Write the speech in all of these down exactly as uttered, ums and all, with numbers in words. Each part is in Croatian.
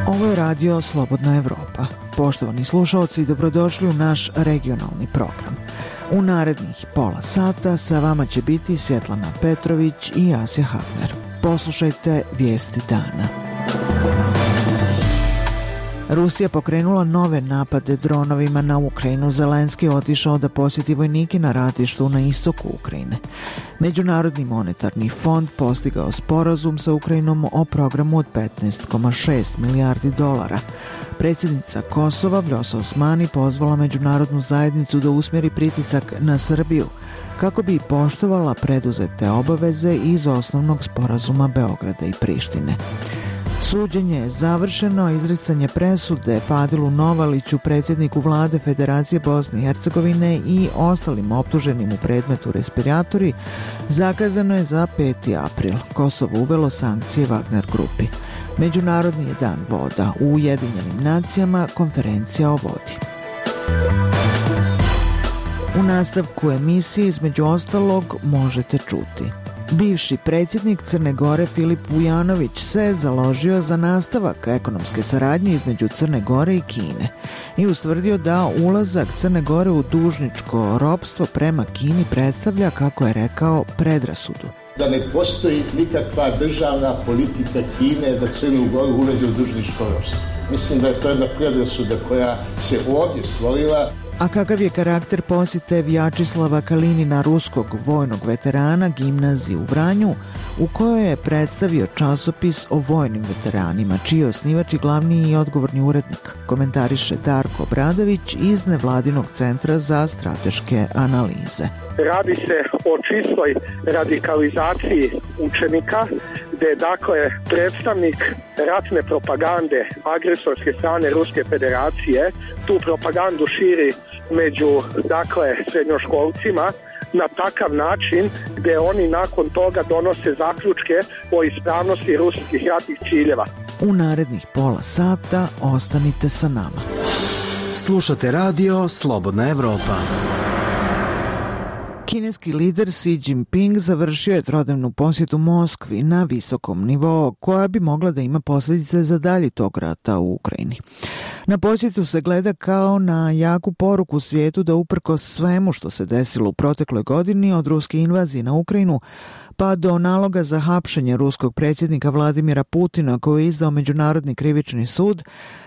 Ovo je radio Slobodna Evropa. Poštovani slušalci, dobrodošli u naš regionalni program. U narednih pola sata sa vama će biti Svjetlana Petrović i Asja Hafner. Poslušajte vijesti dana. Rusija pokrenula nove napade dronovima na Ukrajinu. Zelenski je otišao da posjeti vojnike na ratištu na istoku Ukrajine. Međunarodni monetarni fond postigao sporazum sa Ukrajinom o programu od petnaest zarez šest milijardi dolara. Predsjednica Kosova Vljosa Osmani pozvala međunarodnu zajednicu da usmjeri pritisak na Srbiju kako bi poštovala preduzete obaveze iz osnovnog sporazuma Beograda i Prištine. Suđenje je završeno, izricanje presude Fadilu Novaliću, predsjedniku vlade Federacije Bosne i Hercegovine i ostalim optuženim u predmetu respiratori, zakazano je za peti april. Kosovo uvelo sankcije Wagner grupi. Međunarodni je dan voda. U Ujedinjenim nacijama konferencija o vodi. U nastavku emisije između ostalog možete čuti. Bivši predsjednik Crne Gore Filip Vujanović se založio za nastavak ekonomske saradnje između Crne Gore i Kine i ustvrdio da ulazak Crne Gore u dužničko ropstvo prema Kini predstavlja, kako je rekao, predrasudu. Da ne postoji nikakva državna politika Kine da Crnu Goru uvede u dužničko ropstvo. Mislim da je to jedna predrasuda koja se ovdje stvorila. A kakav je karakter posjete Vjačislava Kalinina, ruskog vojnog veterana, gimnaziji u Vranju, u kojoj je predstavio časopis o vojnim veteranima, čiji je osnivač i glavni i odgovorni urednik, komentariše Darko Obradović iz Nevladinog centra za strateške analize. Radi se o čistoj radikalizaciji učenika, gdje je dakle predstavnik ratne propagande agresorske strane Ruske federacije tu propagandu širi među dakle srednjoškolcima na takav način gdje oni nakon toga donose zaključke o ispravnosti ruskih ratnih ciljeva. U narednih pola sata ostanite sa nama. Slušate radio Slobodna Evropa. Kineski lider Xi Jinping završio je trodnevnu posjetu Moskvi na visokom nivou, koja bi mogla da ima posljedice za dalji tok rata u Ukrajini. Na posjetu se gleda kao na jaku poruku svijetu da uprkos svemu što se desilo u protekloj godini, od ruske invazije na Ukrajinu pa do naloga za hapšenje ruskog predsjednika Vladimira Putina koji je izdao Međunarodni krivični sud,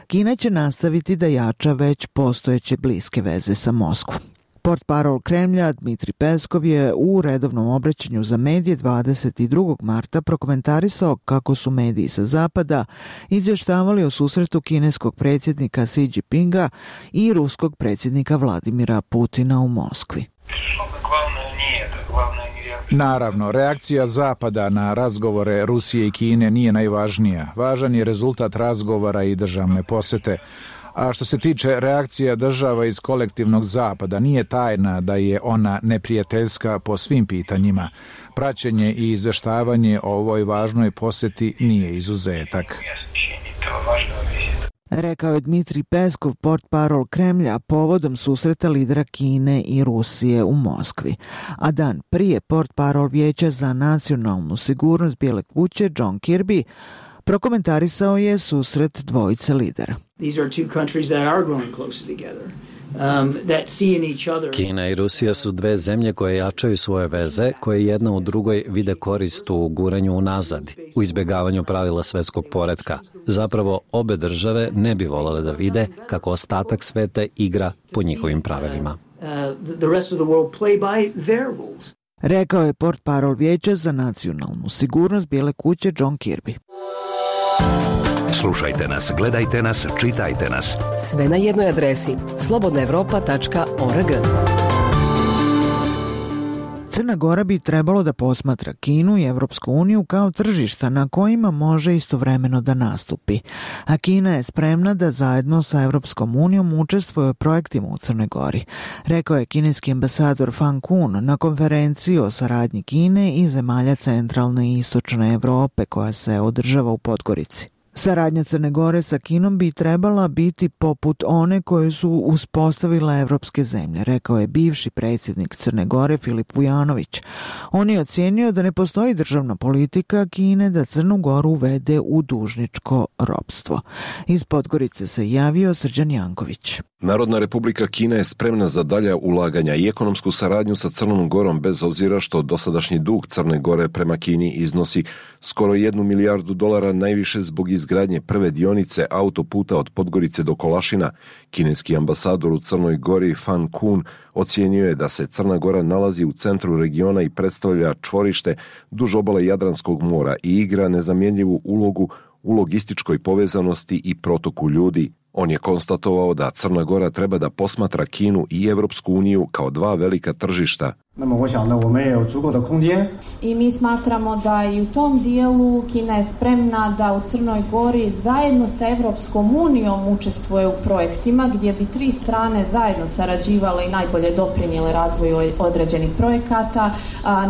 Kina će nastaviti da jača već postojeće bliske veze sa Moskvom. Portparol Kremlja Dmitri Peskov je u redovnom obraćanju za medije dvadeset drugog marta prokomentarisao kako su mediji sa zapada izvještavali o susretu kineskog predsjednika Xi Jinpinga i ruskog predsjednika Vladimira Putina u Moskvi. Naravno, reakcija Zapada na razgovore Rusije i Kine nije najvažnija. Važan je rezultat razgovora i državne posjete. A što se tiče reakcija država iz kolektivnog Zapada, nije tajna da je ona neprijateljska po svim pitanjima. Praćenje i izvještavanje o ovoj važnoj posjeti nije izuzetak. Rekao je Dmitri Peskov, portparol Kremlja, povodom susreta lidera Kine i Rusije u Moskvi. A dan prije portparol Vijeća za nacionalnu sigurnost Bijele kuće John Kirby prokomentarisao je susret dvojice lidera. Kina i Rusija su dve zemlje koje jačaju svoje veze, koje jedna u drugoj vide korist u guranju unazad, u izbjegavanju pravila svjetskog poretka. Zapravo, obe države ne bi voljele da vide kako ostatak sveta igra po njihovim pravilima. Rekao je portparol Vijeća za nacionalnu sigurnost Bijele kuće John Kirby. Slušajte nas, gledajte nas, čitajte nas. Sve na jednoj adresi slobodna evropa tačka org. Crna Gora bi trebalo da posmatra Kinu i Evropsku uniju kao tržišta na kojima može istovremeno da nastupi. A Kina je spremna da zajedno sa Evropskom unijom učestvuje u projektima u Crnoj Gori, rekao je kineski ambasador Fan Kun na konferenciji o saradnji Kine i zemalja centralne i istočne Evrope koja se održava u Podgorici. Saradnja Crne Gore sa Kinom bi trebala biti poput one koje su uspostavile evropske zemlje, rekao je bivši predsjednik Crne Gore Filip Vujanović. On je ocijenio da ne postoji državna politika Kine da Crnu Goru uvede u dužničko ropstvo. Iz Podgorice se javio Srđan Janković. Narodna Republika Kina je spremna za dalja ulaganja i ekonomsku saradnju sa Crnom Gorom bez obzira što dosadašnji dug Crne Gore prema Kini iznosi skoro jednu milijardu dolara, najviše zbog izgradnje prve dionice autoputa od Podgorice do Kolašina. Kineski ambasador u Crnoj Gori Fan Kun ocijenio je da se Crna Gora nalazi u centru regiona i predstavlja čvorište duž obale Jadranskog mora i igra nezamjenjivu ulogu u logističkoj povezanosti i protoku ljudi. On je konstatovao da Crna Gora treba da posmatra Kinu i Evropsku uniju kao dva velika tržišta. I mi smatramo da i u tom dijelu Kina je spremna da u Crnoj Gori zajedno sa Evropskom unijom učestvuje u projektima gdje bi tri strane zajedno sarađivale i najbolje doprinijele razvoju određenih projekata,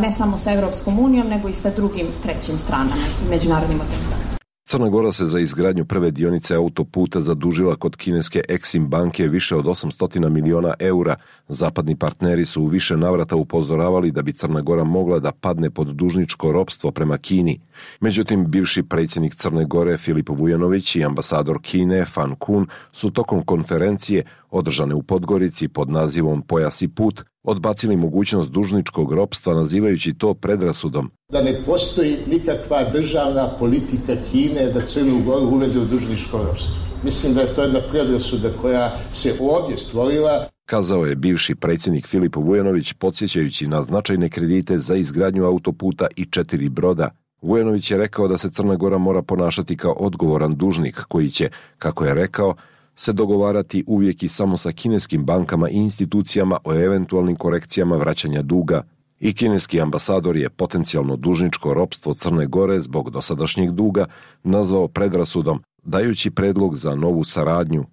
ne samo sa Evropskom unijom nego i sa drugim trećim stranama i međunarodnim organizacijama. Crna Gora se za izgradnju prve dionice autoputa zadužila kod kineske Exim banke više od osamsto miliona eura. Zapadni partneri su u više navrata upozoravali da bi Crna Gora mogla da padne pod dužničko ropstvo prema Kini. Međutim, bivši predsjednik Crne Gore Filip Vujanović i ambasador Kine Fan Kun su tokom konferencije održane u Podgorici pod nazivom Pojas i put odbacili mogućnost dužničkog ropstva nazivajući to predrasudom. Da ne postoji nikakva državna politika Kine da Crnu Goru uvede u dužničko ropstvo. Mislim da je to jedna predrasuda koja se ovdje stvorila. Kazao je bivši predsjednik Filip Vujanović podsjećajući na značajne kredite za izgradnju autoputa i četiri broda. Vujanović je rekao da se Crna Gora mora ponašati kao odgovoran dužnik koji će, kako je rekao, se dogovarati uvijek i samo sa kineskim bankama i institucijama o eventualnim korekcijama vraćanja duga. I kineski ambasador je potencijalno dužničko ropstvo Crne Gore zbog dosadašnjeg duga nazvao predrasudom, dajući predlog za novu saradnju.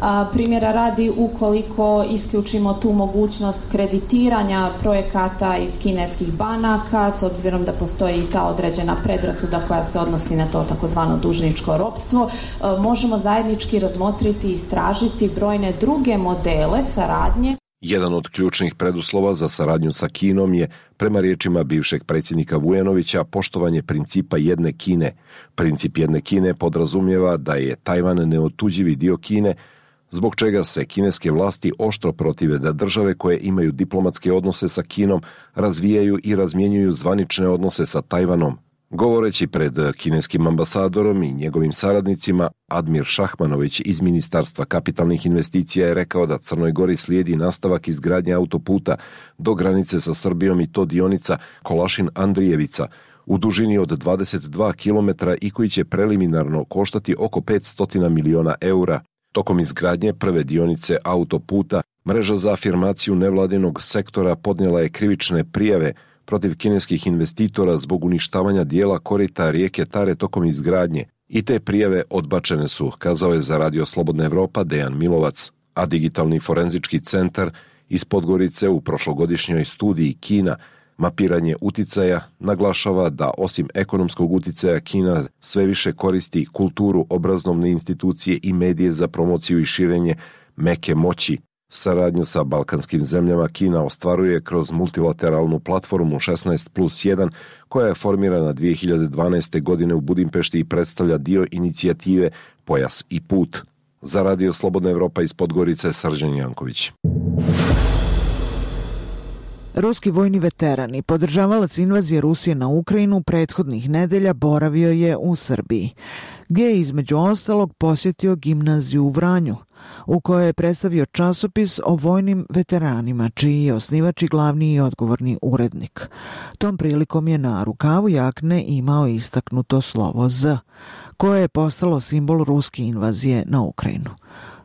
A, primjera radi, ukoliko isključimo tu mogućnost kreditiranja projekata iz kineskih banaka, s obzirom da postoji i ta određena predrasuda koja se odnosi na to takozvano dužničko ropstvo, a, možemo zajednički razmotriti i istražiti brojne druge modele saradnje. Jedan od ključnih preduslova za saradnju sa Kinom je, prema riječima bivšeg predsjednika Vujanovića, poštovanje principa jedne Kine. Princip jedne Kine podrazumijeva da je Tajvan neotuđivi dio Kine, zbog čega se kineske vlasti oštro protive da države koje imaju diplomatske odnose sa Kinom razvijaju i razmjenjuju zvanične odnose sa Tajvanom. Govoreći pred kineskim ambasadorom i njegovim saradnicima, Admir Šahmanović iz Ministarstva kapitalnih investicija je rekao da Crnoj Gori slijedi nastavak izgradnje autoputa do granice sa Srbijom i to dionica Kolašin-Andrijevica u dužini od dvadeset dva kilometra i koji će preliminarno koštati oko petsto miliona eura. Tokom izgradnje prve dionice autoputa, mreža za afirmaciju nevladinog sektora podnijela je krivične prijave protiv kineskih investitora zbog uništavanja dijela korita rijeke Tare tokom izgradnje i te prijave odbačene su, kazao je za Radio Slobodna Evropa Dejan Milovac, a Digitalni forenzički centar iz Podgorice u prošlogodišnjoj studiji Kina Mapiranje uticaja naglašava da osim ekonomskog uticaja Kina sve više koristi kulturu, obrazovne institucije i medije za promociju i širenje meke moći. Saradnju sa balkanskim zemljama Kina ostvaruje kroz multilateralnu platformu šesnaest plus jedan koja je formirana dvije hiljade dvanaeste. godine u Budimpešti i predstavlja dio inicijative Pojas i put. Za Radio Slobodna Evropa iz Podgorice Srđan Janković. Ruski vojni veteran i podržavalac invazije Rusije na Ukrajinu prethodnih nedelja boravio je u Srbiji, gdje je između ostalog posjetio gimnaziju u Vranju, u kojoj je predstavio časopis o vojnim veteranima, čiji je osnivač i glavni i odgovorni urednik. Tom prilikom je na rukavu jakne imao istaknuto slovo Z, koje je postalo simbol ruske invazije na Ukrajinu.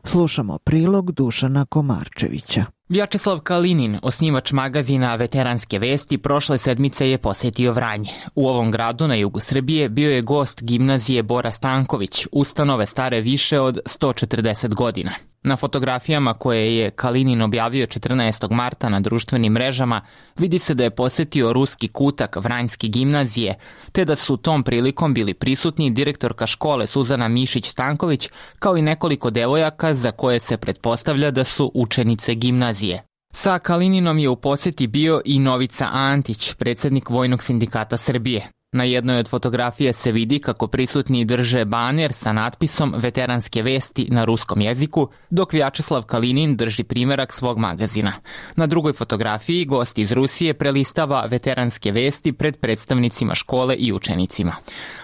Slušamo prilog Dušana Komarčevića. Vjačeslav Kalinin, osnivač magazina Veteranske vesti, prošle sedmice je posjetio Vranje. U ovom gradu na jugu Srbije bio je gost gimnazije Bora Stanković, ustanove stare više od sto četrdeset godina. Na fotografijama koje je Kalinin objavio četrnaestog marta na društvenim mrežama vidi se da je posetio ruski kutak Vranjske gimnazije, te da su tom prilikom bili prisutni direktorka škole Suzana Mišić-Stanković, kao i nekoliko devojaka za koje se pretpostavlja da su učenice gimnazije. Sa Kalininom je u poseti bio i Novica Antić, predsjednik Vojnog sindikata Srbije. Na jednoj od fotografija se vidi kako prisutni drže baner sa natpisom Veteranske vesti na ruskom jeziku, dok Vjačeslav Kalinin drži primerak svog magazina. Na drugoj fotografiji gost iz Rusije prelistava Veteranske vesti pred predstavnicima škole i učenicima.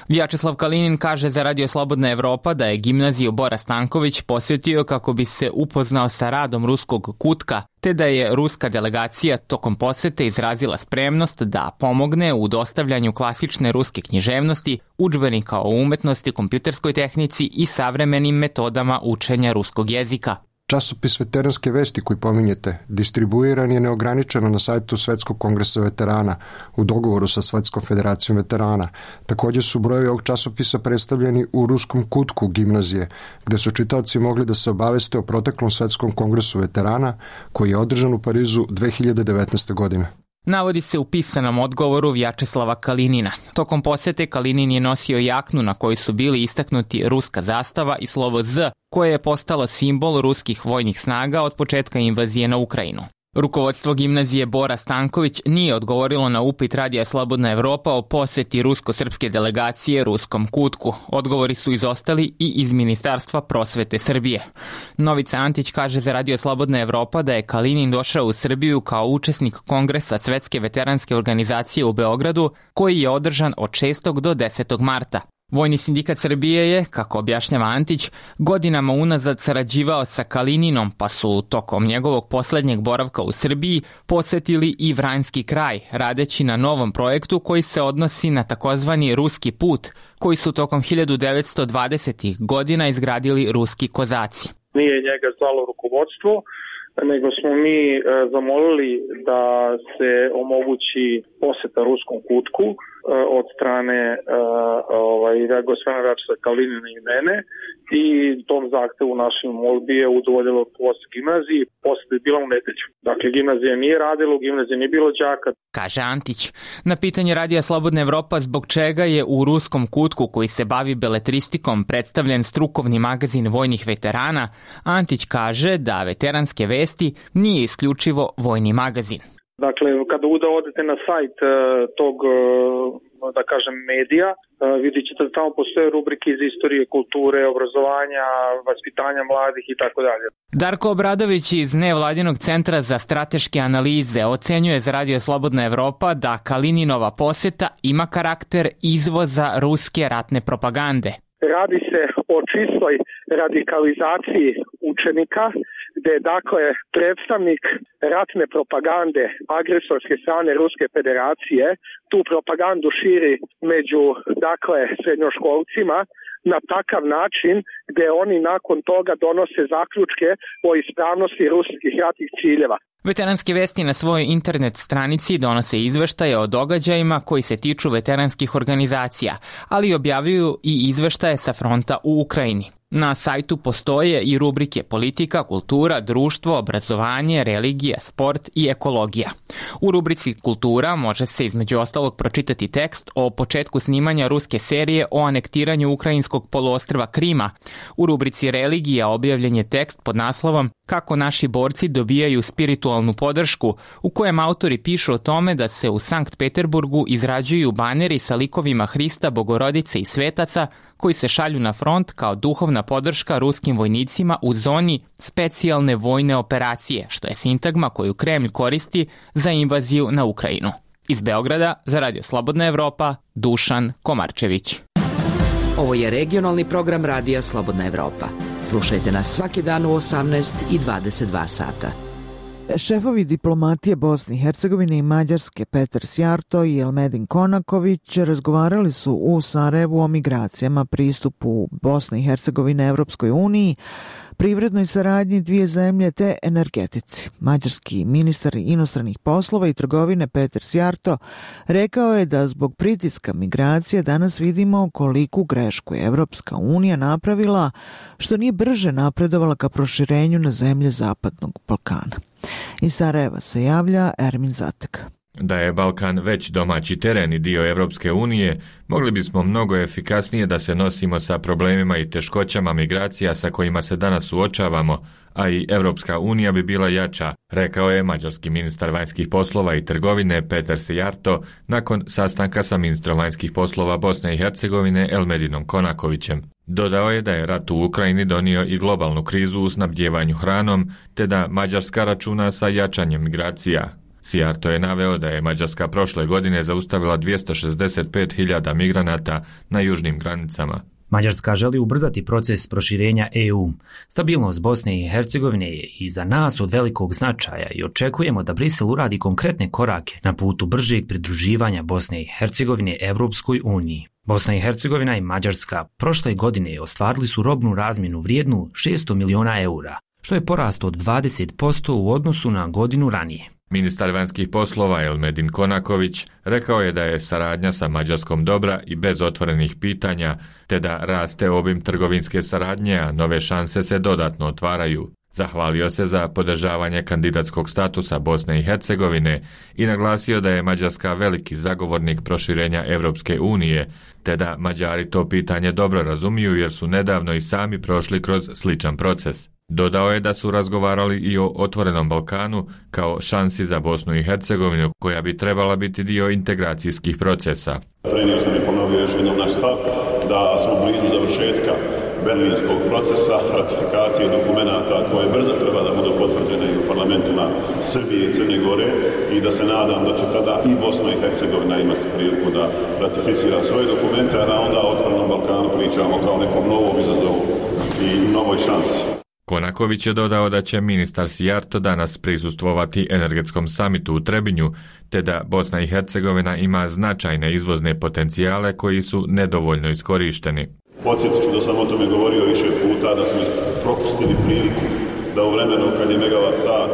Vjačeslav Kalinin kaže za Radio Slobodna Evropa da je gimnaziju Bora Stanković posjetio kako bi se upoznao sa radom ruskog kutka, te da je ruska delegacija tokom posete izrazila spremnost da pomogne u dostavljanju klasične ruske književnosti, udžbenika o umetnosti, kompjuterskoj tehnici i savremenim metodama učenja ruskog jezika. Časopis Veteranske vesti koji pominjete distribuiran je neograničeno na sajtu Svetskog kongresa veterana u dogovoru sa Svetskom federacijom veterana. Također su brojevi ovog časopisa predstavljeni u ruskom kutku gimnazije, gde su čitaoci mogli da se obaveste o proteklom Svetskom kongresu veterana koji je održan u Parizu dve hiljade devetnaeste. godine. Navodi se u pisanom odgovoru Vjačeslava Kalinina. Tokom posete Kalinin je nosio jaknu na kojoj su bili istaknuti ruska zastava i slovo Z, koje je postalo simbol ruskih vojnih snaga od početka invazije na Ukrajinu. Rukovodstvo gimnazije Bora Stanković nije odgovorilo na upit Radija Slobodna Evropa o poseti rusko-srpske delegacije ruskom kutku. Odgovori su izostali i iz Ministarstva prosvete Srbije. Novica Antić kaže za Radio Slobodna Evropa da je Kalinin došao u Srbiju kao učesnik Kongresa Svetske veteranske organizacije u Beogradu, koji je održan od šestog do desetog marta. Vojni sindikat Srbije je, kako objašnjava Antić, godinama unazad sarađivao sa Kalininom, pa su tokom njegovog posljednjeg boravka u Srbiji posetili i Vranjski kraj, radeći na novom projektu koji se odnosi na takozvani ruski put, koji su tokom hiljadu devetsto dvadesetih godina izgradili ruski kozaci. Nije njega zvalo rukovodstvo, nego smo mi e, zamolili da se omogući poseta ruskom kutku e, od strane e, ovaj, gospodina Vjačeslava Kalinina i mene, i tom zahtevu našim molbi je udovoljilo posle gimnaziji. Poseta je bila u nedelju. Dakle, gimnazija nije radila, u gimnaziji nije bilo đaka. Kaže Antić. Na pitanje Radija Slobodna Evropa zbog čega je u ruskom kutku koji se bavi beletristikom predstavljen strukovni magazin vojnih veterana, Antić kaže da Veteranske vesti nije isključivo vojni magazin. Dakle, kada odete na sajt tog, da kažem, medija, vidjet ćete da tamo postoje rubrike iz istorije, kulture, obrazovanja, vaspitanja mladih i tako dalje. Darko Obradović iz Nevladinog centra za strateške analize ocenjuje za Radio Slobodna Evropa da Kalininova poseta ima karakter izvoza ruske ratne propagande. Radi se o čistoj radikalizaciji učenika, gde je dakle predstavnik ratne propagande agresorske strane Ruske federacije tu propagandu širi među dakle srednjoškolcima na takav način gde oni nakon toga donose zaključke o ispravnosti ruskih ratnih ciljeva. Veteranske vesti na svojoj internet stranici donose izveštaje o događajima koji se tiču veteranskih organizacija, ali objavljuju i izveštaje sa fronta u Ukrajini. Na sajtu postoje i rubrike politika, kultura, društvo, obrazovanje, religija, sport i ekologija. U rubrici kultura može se između ostalog pročitati tekst o početku snimanja ruske serije o anektiranju ukrajinskog poluostrva Krima. U rubrici religija objavljen je tekst pod naslovom Kako naši borci dobijaju spiritualnu podršku, u kojem autori pišu o tome da se u Sankt Peterburgu izrađuju baneri sa likovima Hrista, Bogorodice i svetaca koji se šalju na front kao duhovna podrška ruskim vojnicima u zoni specijalne vojne operacije, što je sintagma koju Kremlj koristi za invaziju na Ukrajinu. Iz Beograda za Radio Slobodna Evropa, Dušan Komarčević. Ovo je regionalni program Radija Slobodna Evropa. Slušajte nas svaki dan u osamnaest i dvadeset dva sata. Šefovi diplomatije Bosne i Hercegovine i Mađarske Petar Sjarto i Elmedin Konaković razgovarali su u Sarajevu o migracijama, pristupu Bosne i Hercegovine Evropskoj uniji, privrednoj saradnji dvije zemlje te energetici. Mađarski ministar inostranih poslova i trgovine Peter Szijjártó rekao je da zbog pritiska migracije danas vidimo koliku grešku je Evropska unija napravila što nije brže napredovala ka proširenju na zemlje Zapadnog Balkana. Iz Sarajeva se javlja Ermin Zatek. Da je Balkan već domaći teren i dio Evropske unije, mogli bismo mnogo efikasnije da se nosimo sa problemima i teškoćama migracija sa kojima se danas suočavamo, a i Evropska unija bi bila jača, rekao je mađarski ministar vanjskih poslova i trgovine Peter Szijjártó nakon sastanka sa ministrom vanjskih poslova Bosne i Hercegovine Elmedinom Konakovićem. Dodao je da je rat u Ukrajini donio i globalnu krizu u snabdjevanju hranom, te da Mađarska računa sa jačanjem migracija. Szijjártó je naveo da je Mađarska prošle godine zaustavila dvjesto šezdeset pet hiljada migranata na južnim granicama. Mađarska želi ubrzati proces proširenja E U. Stabilnost Bosne i Hercegovine je i za nas od velikog značaja i očekujemo da Brisel uradi konkretne korake na putu bržeg pridruživanja Bosne i Hercegovine Evropskoj uniji. Bosna i Hercegovina i Mađarska prošle godine ostvarili su robnu razmjenu vrijednu šesto miliona eura, što je porast od dvadeset posto u odnosu na godinu ranije. Ministar vanjskih poslova Elmedin Konaković rekao je da je saradnja sa Mađarskom dobra i bez otvorenih pitanja, te da raste obim trgovinske saradnje, a nove šanse se dodatno otvaraju. Zahvalio se za podržavanje kandidatskog statusa Bosne i Hercegovine i naglasio da je Mađarska veliki zagovornik proširenja Evropske unije, te da Mađari to pitanje dobro razumiju jer su nedavno i sami prošli kroz sličan proces. Dodao je da su razgovarali i o otvorenom Balkanu kao šansi za Bosnu i Hercegovinu koja bi trebala biti dio integracijskih procesa. Prenio sam i ponovio još jednom naš stav da smo blizu završetka berlinskog procesa, ratifikacije dokumenata koje brzo treba da budu potvrđene i u parlamentima Srbije i Crne Gore i da se nadam da će tada i Bosna i Hercegovina imati priliku da ratificira svoje dokumente, a da onda o otvorenom Balkanu pričamo kao nekom novom izazovu i novoj šansi. Konaković je dodao da će ministar Szijjártó danas prisustvovati energetskom samitu u Trebinju, te da Bosna i Hercegovina ima značajne izvozne potencijale koji su nedovoljno iskorišteni. Podsjetit ću da sam o tome govorio više puta, da smo propustili priliku da u vremenu kad je megavat sat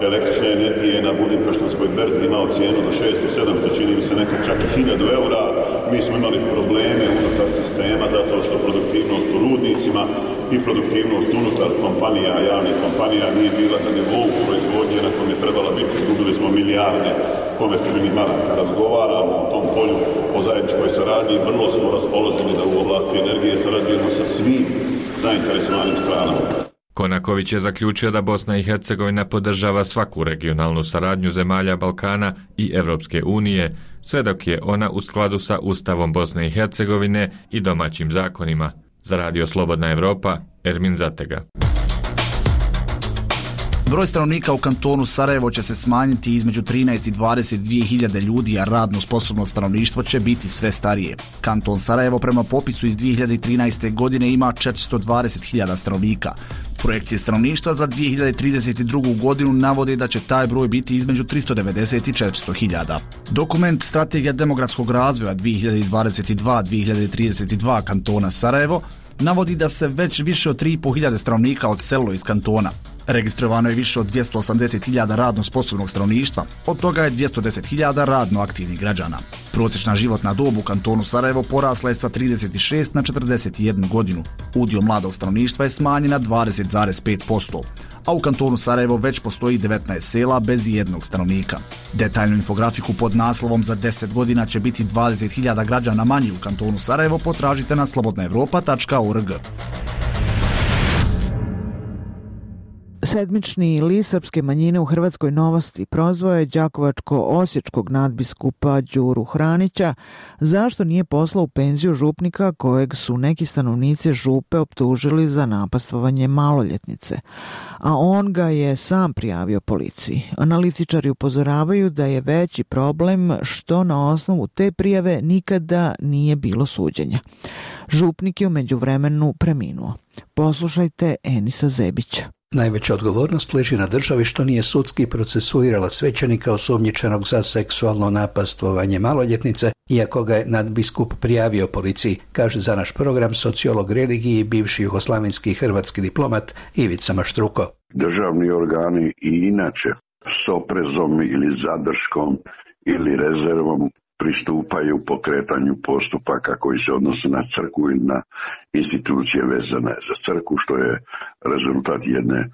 električne energije na Budimpeštanskoj berzi imao cijenu do šesto sedamsto, čini mi se nekad čak i hiljadu eura, mi smo imali probleme unutar sistema zato što produktivnost u rudnicima i produktivnost unutar kompanija, javnih kompanija nije bila na nivou proizvodnje na kojem je trebala biti. Izgubili smo milijarde komercijalnih maraka. Razgovaramo o tom polju o zajedničkoj saradnji i vrlo smo raspoloženi da u oblasti energije sarađujemo sa svim zainteresovanim stranama. Konaković je zaključio da Bosna i Hercegovina podržava svaku regionalnu saradnju zemalja Balkana i Evropske unije, sve dok je ona u skladu sa Ustavom Bosne i Hercegovine i domaćim zakonima. Za Radio Slobodna Evropa, Ermin Zatega. Broj stanovnika u kantonu Sarajevo će se smanjiti između trinaest i dvadeset dvije hiljade ljudi, a radno sposobno stanovništvo će biti sve starije. Kanton Sarajevo prema popisu iz dvije hiljade trinaeste. godine ima četiristo dvadeset hiljada stanovnika. Projekcije stanovništva za dvije hiljade trideset drugu. godinu navode da će taj broj biti između tristo devedeset i četiristo hiljada. Dokument Strategija demografskog razvoja dvije hiljade dvadeset dva do dvije hiljade trideset dva kantona Sarajevo navodi da se već više od tri i pol hiljade stanovnika odselilo iz kantona. Registrovano je više od dvjesto osamdeset hiljada radno sposobnog stanovništva, od toga je dvjesto deset hiljada radno aktivnih građana. Prosječna životna dob u kantonu Sarajevo porasla je sa trideset šest na četrdeset jednu godinu. Udio mladog stanovništva je smanjen na dvadeset zarez pet posto, a u kantonu Sarajevo već postoji devetnaest sela bez jednog stanovnika. Detaljnu infografiku pod naslovom za deset godina će biti dvadeset hiljada građana manje u kantonu Sarajevo potražite na slobodna evropa tačka org. Sedmični list srpske manjine u Hrvatskoj Novosti prozvao je đakovačko-osječkog nadbiskupa Đuru Hranića zašto nije poslao u penziju župnika kojeg su neki stanovnici župe optužili za napastvovanje maloljetnice, a on ga je sam prijavio policiji. Analitičari upozoravaju da je veći problem što na osnovu te prijave nikada nije bilo suđenja. Župnik je u međuvremenu preminuo. Poslušajte Enisa Zebića. Najveća odgovornost leži na državi što nije sudski procesuirala svećenika osumnjičenog za seksualno napastvovanje maloljetnice, iako ga je nadbiskup prijavio policiji, kaže za naš program sociolog religiji i bivši jugoslavenski hrvatski diplomat Ivica Maštruko. Državni organi i inače s oprezom ili zadrškom ili rezervom pristupaju pokretanju postupaka koji se odnose na crkvu i na institucije vezane za crkvu, što je rezultat jedne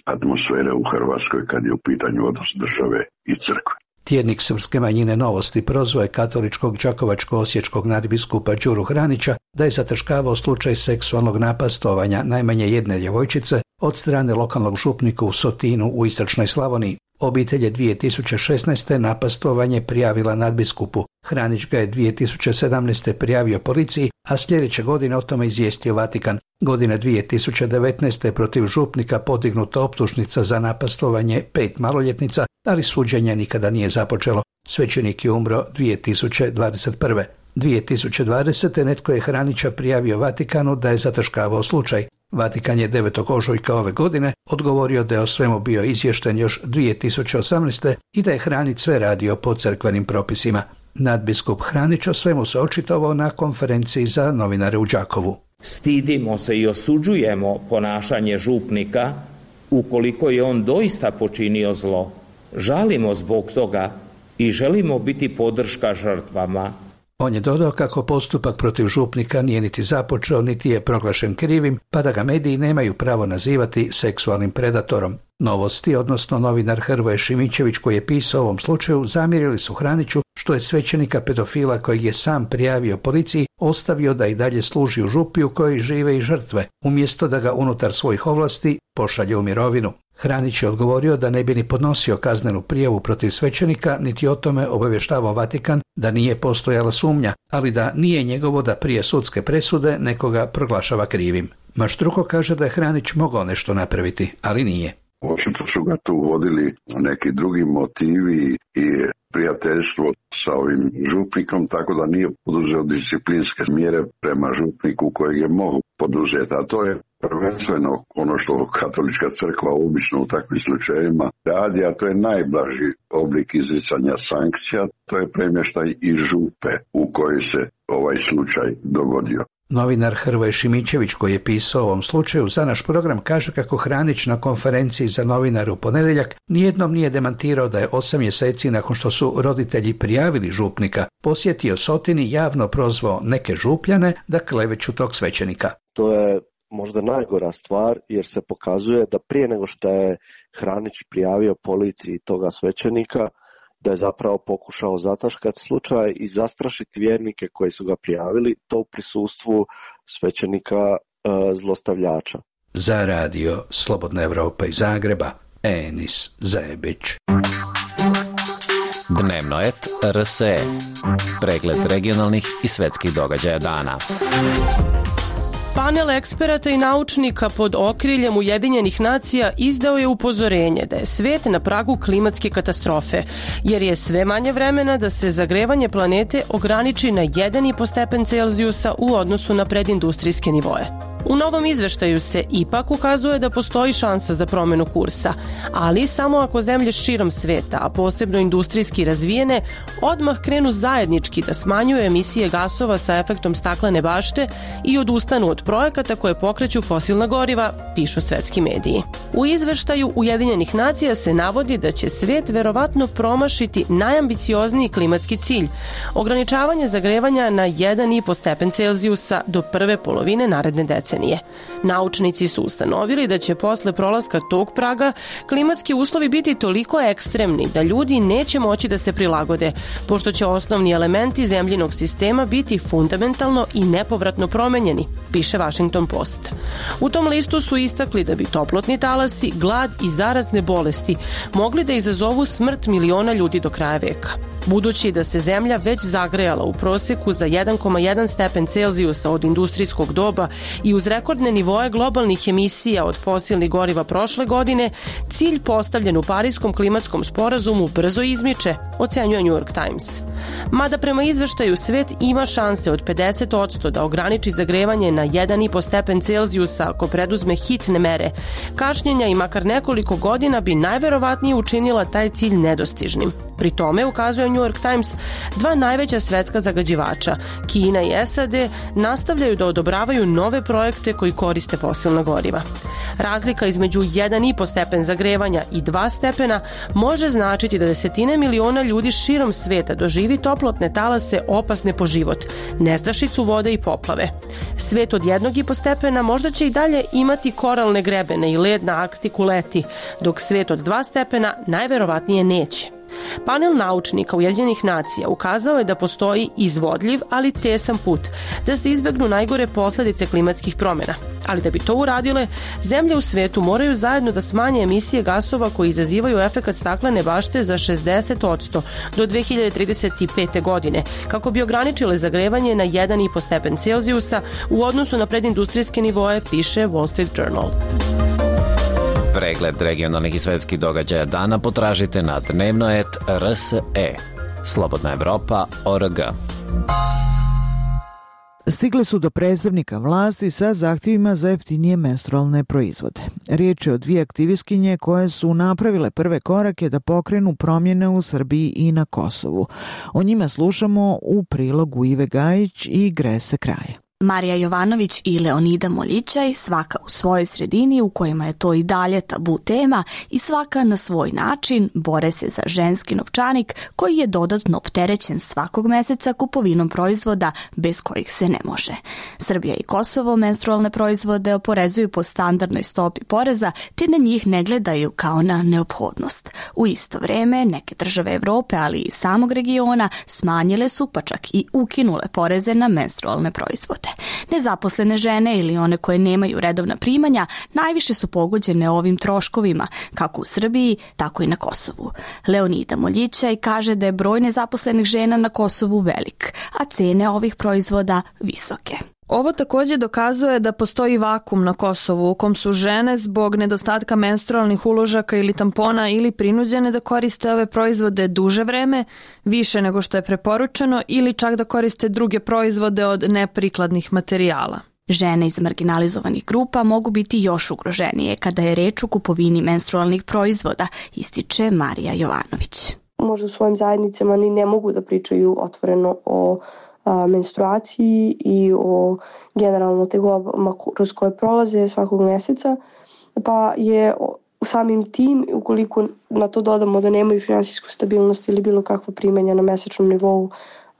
atmosfere u Hrvatskoj kad je u pitanju odnos države i crkve. Tjednik srpske manjine Novosti prozvao je katoličkog đakovačko-osječkog nadbiskupa Đuru Hranića da je zataškavao slučaj seksualnog napastovanja najmanje jedne djevojčice od strane lokalnog župnika u Sotinu u istočnoj Slavoniji. Obitelj je dvije tisuće šesnaeste napastovanje prijavila nadbiskupu. Hranić ga je dvije tisuće sedamnaeste prijavio policiji, a sljedeće godine o tome izvijestio Vatikan. Godine dvije tisuće devetnaeste protiv župnika podignuta optužnica za napastovanje pet maloljetnica, ali suđenje nikada nije započelo. Svećenik je umro dvije tisuće dvadeset prve. dvije tisuće dvadesete netko je Hranića prijavio Vatikanu da je zataškavao slučaj. Vatikan je devetog ožujka ove godine odgovorio da je o svemu bio izvješten još dvije tisuće osamnaeste i da je Hranić sve radio po crkvenim propisima. Nadbiskup Hranić o svemu se očitovao na konferenciji za novinare u Đakovu. Stidimo se i osuđujemo ponašanje župnika ukoliko je on doista počinio zlo. Žalimo zbog toga i želimo biti podrška žrtvama. On je dodao kako postupak protiv župnika nije niti započeo, niti je proglašen krivim, pa da ga mediji nemaju pravo nazivati seksualnim predatorom. Novosti, odnosno novinar Hrvoje Šimićević koji je pisao o ovom slučaju, zamjerili su Hraniću što je svećenika pedofila kojeg je sam prijavio policiji ostavio da i dalje služi u župi u kojoj žive i žrtve, umjesto da ga unutar svojih ovlasti pošalje u mirovinu. Hranić je odgovorio da ne bi ni podnosio kaznenu prijavu protiv svećenika, niti o tome obavještavao Vatikan da nije postojala sumnja, ali da nije njegovo da prije sudske presude nekoga proglašava krivim. Maštruko kaže da je Hranić mogao nešto napraviti, ali nije. Očito su ga tu vodili neki drugi motivi i prijateljstvo sa ovim župnikom, tako da nije poduzeo disciplinske mjere prema župniku kojeg je mogao poduzeti, a to je prvenstveno ono što katolička crkva obično u takvim slučajevima radi, a to je najblaži oblik izricanja sankcija, to je premještaj iz župe u kojoj se ovaj slučaj dogodio. Novinar Hrvoje Šimićević koji je pisao o ovom slučaju za naš program kaže kako Hranić na konferenciji za novinare u ponedjeljak nijednom nije demantirao da je osam mjeseci nakon što su roditelji prijavili župnika posjetio Sotin i javno prozvao neke župljane da kleveću tog svećenika. To je možda najgora stvar jer se pokazuje da prije nego što je Hranić prijavio policiji toga svećenika, da je zapravo pokušao zataškati slučaj i zastrašiti vjernike koji su ga prijavili, to u prisustvu svećenika e, zlostavljača. Za radio Slobodna Evropa iz Zagreba, Enis Zebić. Dnevno et R S E. Pregled regionalnih i svetskih događaja dana. Panel eksperata i naučnika pod okriljem Ujedinjenih nacija izdao je upozorenje da je svet na pragu klimatske katastrofe, jer je sve manje vremena da se zagrevanje planete ograniči na jedan i po stepen Celzijusa u odnosu na predindustrijske nivoe. U novom izveštaju se ipak ukazuje da postoji šansa za promjenu kursa, ali samo ako zemlje širom sveta, a posebno industrijski razvijene, odmah krenu zajednički da smanjuju emisije gasova sa efektom staklene bašte i odustanu od projekata koje pokreću fosilna goriva, pišu svetski mediji. U izveštaju Ujedinjenih nacija se navodi da će svet verovatno promašiti najambiciozniji klimatski cilj, ograničavanje zagrevanja na jedan i po stepen Celzijusa do prve polovine naredne decenije. Naučnici su ustanovili da će posle prolaska tog praga klimatski uslovi biti toliko ekstremni da ljudi neće moći da se prilagode, pošto će osnovni elementi zemljinog sistema biti fundamentalno i nepovratno promenjeni, piše Washington Post. U tom listu su istakli da bi toplotni talasi, glad i zarazne bolesti mogli da izazovu smrt miliona ljudi do kraja veka. Budući da se zemlja već zagrejala u proseku za jedan zarez jedan stepen Celzijusa od industrijskog doba i uz rekordne nivoe globalnih emisija od fosilnih goriva prošle godine, cilj postavljen u Pariskom klimatskom sporazumu brzo izmiče, ocenjuje New York Times. Mada prema izveštaju svet ima šanse od pedeset posto da ograniči zagrevanje na jedan i po stepen Celzijusa ako preduzme hitne mere, kašnjenja i makar nekoliko godina bi najverovatnije učinila taj cilj nedostižnim. Pri tome, ukazuje New York Times, dva najveća svetska zagađivača, Kina i S A D, nastavljaju da odobravaju nove projekte koji koriste fosilna goriva. Razlika između jedan i po stepen zagrevanja i dva stepena može značiti da desetine miliona ljudi širom sveta doživi toplotne talase opasne po život, nestašicu vode i poplave. Svet od jednog i po stepena možda će i dalje imati koralne grebene i led na Arktiku leti, dok svet od dva stepena najverovatnije neće. Panel naučnika Ujedinjenih nacija ukazao je da postoji izvodljiv, ali tesan put da se izbegnu najgore posledice klimatskih promjena. Ali da bi to uradile, zemlje u svetu moraju zajedno da smanje emisije gasova koji izazivaju efekat staklene bašte za šezdeset posto do dve hiljade trideset pete. godine, kako bi ograničile zagrevanje na jedan i po stepen Celzijusa u odnosu na predindustrijske nivoe, piše Wall Street Journal. Pregled regionalnih i svetskih događaja dana potražite na dnevno et r s e. Slobodna Evropa точка o r g. Stigle su do predstavnika vlasti sa zahtjevima za jeftinije menstrualne proizvode. Riječ je o dvije aktivistkinje koje su napravile prve korake da pokrenu promjene u Srbiji i na Kosovu. O njima slušamo u prilogu Ive Gajić i Grese Kraja. Marija Jovanović i Leonida Moljićaj, svaka u svojoj sredini u kojima je to i dalje tabu tema i svaka na svoj način bore se za ženski novčanik koji je dodatno opterećen svakog meseca kupovinom proizvoda bez kojih se ne može. Srbija i Kosovo menstrualne proizvode oporezuju po standardnoj stopi poreza te na njih ne gledaju kao na neophodnost. U isto vrijeme neke države Evrope, ali i samog regiona smanjile su pa čak i ukinule poreze na menstrualne proizvode. Nezaposlene žene ili one koje nemaju redovna primanja najviše su pogođene ovim troškovima, kako u Srbiji, tako i na Kosovu. Leonida Moljićaj kaže da je broj nezaposlenih žena na Kosovu velik, a cene ovih proizvoda visoke. Ovo također dokazuje da postoji vakum na Kosovu u kom su žene zbog nedostatka menstrualnih uložaka ili tampona ili prinuđene da koriste ove proizvode duže vreme, više nego što je preporučeno, ili čak da koriste druge proizvode od neprikladnih materijala. Žene iz marginalizovanih grupa mogu biti još ugroženije kada je reč o kupovini menstrualnih proizvoda, ističe Marija Jovanović. Možda u svojim zajednicama ni ne mogu da pričaju otvoreno o menstruaciji i o generalno tegobama kroz koje prolaze svakog mjeseca, pa je samim tim, ukoliko na to dodamo da nemaju finansijsku stabilnost ili bilo kakva primanja na mjesečnom nivou,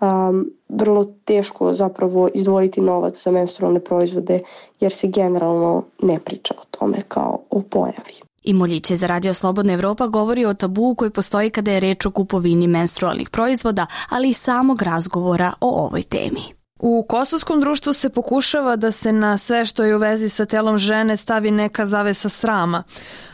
um, vrlo teško zapravo izdvojiti novac za menstrualne proizvode jer se generalno ne priča o tome kao o pojavi. I Moljiće za Radio Slobodna Evropa govori o tabu koji postoji kada je reč o kupovini menstrualnih proizvoda, ali i samog razgovora o ovoj temi. U kosovskom društvu se pokušava da se na sve što je u vezi sa telom žene stavi neka zavesa srama,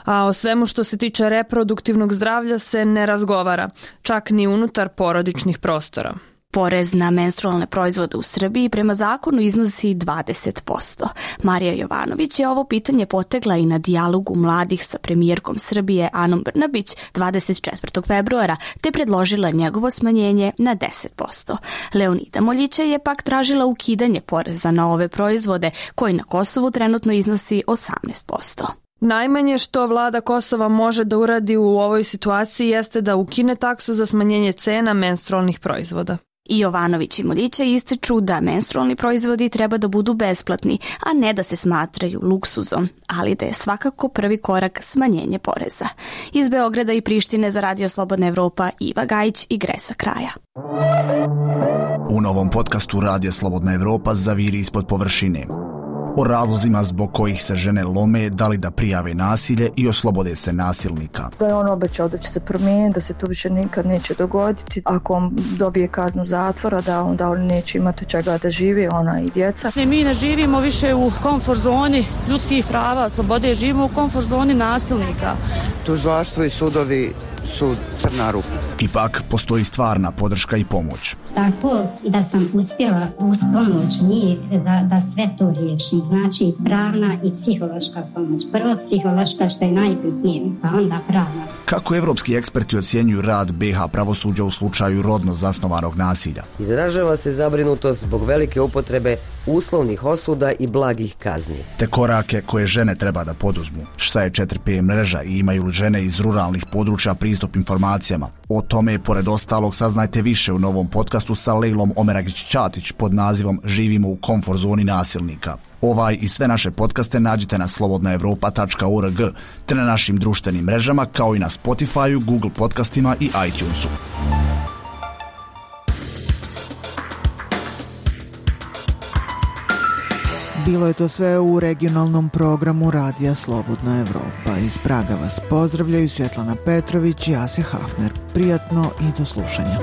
a o svemu što se tiče reproduktivnog zdravlja se ne razgovara, čak ni unutar porodičnih prostora. Porez na menstrualne proizvode u Srbiji prema zakonu iznosi dvadeset posto. Marija Jovanović je ovo pitanje potegla i na dijalogu mladih sa premijerkom Srbije Anom Brnabić dvadeset četvrtog februara, te predložila njegovo smanjenje na deset posto. Leonida Moljića je pak tražila ukidanje poreza na ove proizvode, koji na Kosovu trenutno iznosi osamnaest posto. Najmanje što vlada Kosova može da uradi u ovoj situaciji jeste da ukine taksu za smanjenje cena menstrualnih proizvoda. I Jovanović i Moljića ističu da menstrualni proizvodi treba da budu besplatni, a ne da se smatraju luksuzom, ali da je svakako prvi korak smanjenje poreza. Iz Beograda i Prištine za Radio Slobodna Evropa Iva Gajić i Gresa Kraja. U novom podcastu Radio Slobodna Evropa zaviri ispod površine. O razlozima zbog kojih se žene lome, da li da prijave nasilje i oslobode se nasilnika. Da je on obećao da će se promijeniti, da se to više nikad neće dogoditi. Ako on dobije kaznu zatvora, da onda on neće imati čega da živi, ona i djeca. Ne, mi ne živimo više u komfort zoni ljudskih prava, slobode, živimo u komfort zoni nasilnika. Tužilaštvo i sudovi su crna rupa. Ipak postoji stvarna podrška i pomoć. Tako da sam uspjela uz pomoć njih da, da sve to riješim. Znači pravna i psihološka pomoć. Prvo psihološka što je najbitnije, pa onda pravna. Kako evropski eksperti ocjenjuju rad be ha pravosuđa u slučaju rodno zasnovanog nasilja? Izražava se zabrinutost zbog velike upotrebe uslovnih osuda i blagih kazni. Te korake koje žene treba da poduzmu. Šta je četiri pe mreža i imaju li žene iz ruralnih područja pristup informacijama? O tome, pored ostalog, saznajte više u novom podcastu sa Lejlom Omeragić-Ćatić pod nazivom Živimo u komfort zoni nasilnika. Ovaj i sve naše podcaste nađite na slobodna evropa tačka org te na našim društvenim mrežama kao i na Spotifyu, Google podcastima i iTunesu. Bilo je to sve u regionalnom programu Radija Slobodna Evropa. Iz Praga vas pozdravljaju Svjetlana Petrović i Asja Hafner. Prijatno i do slušanja.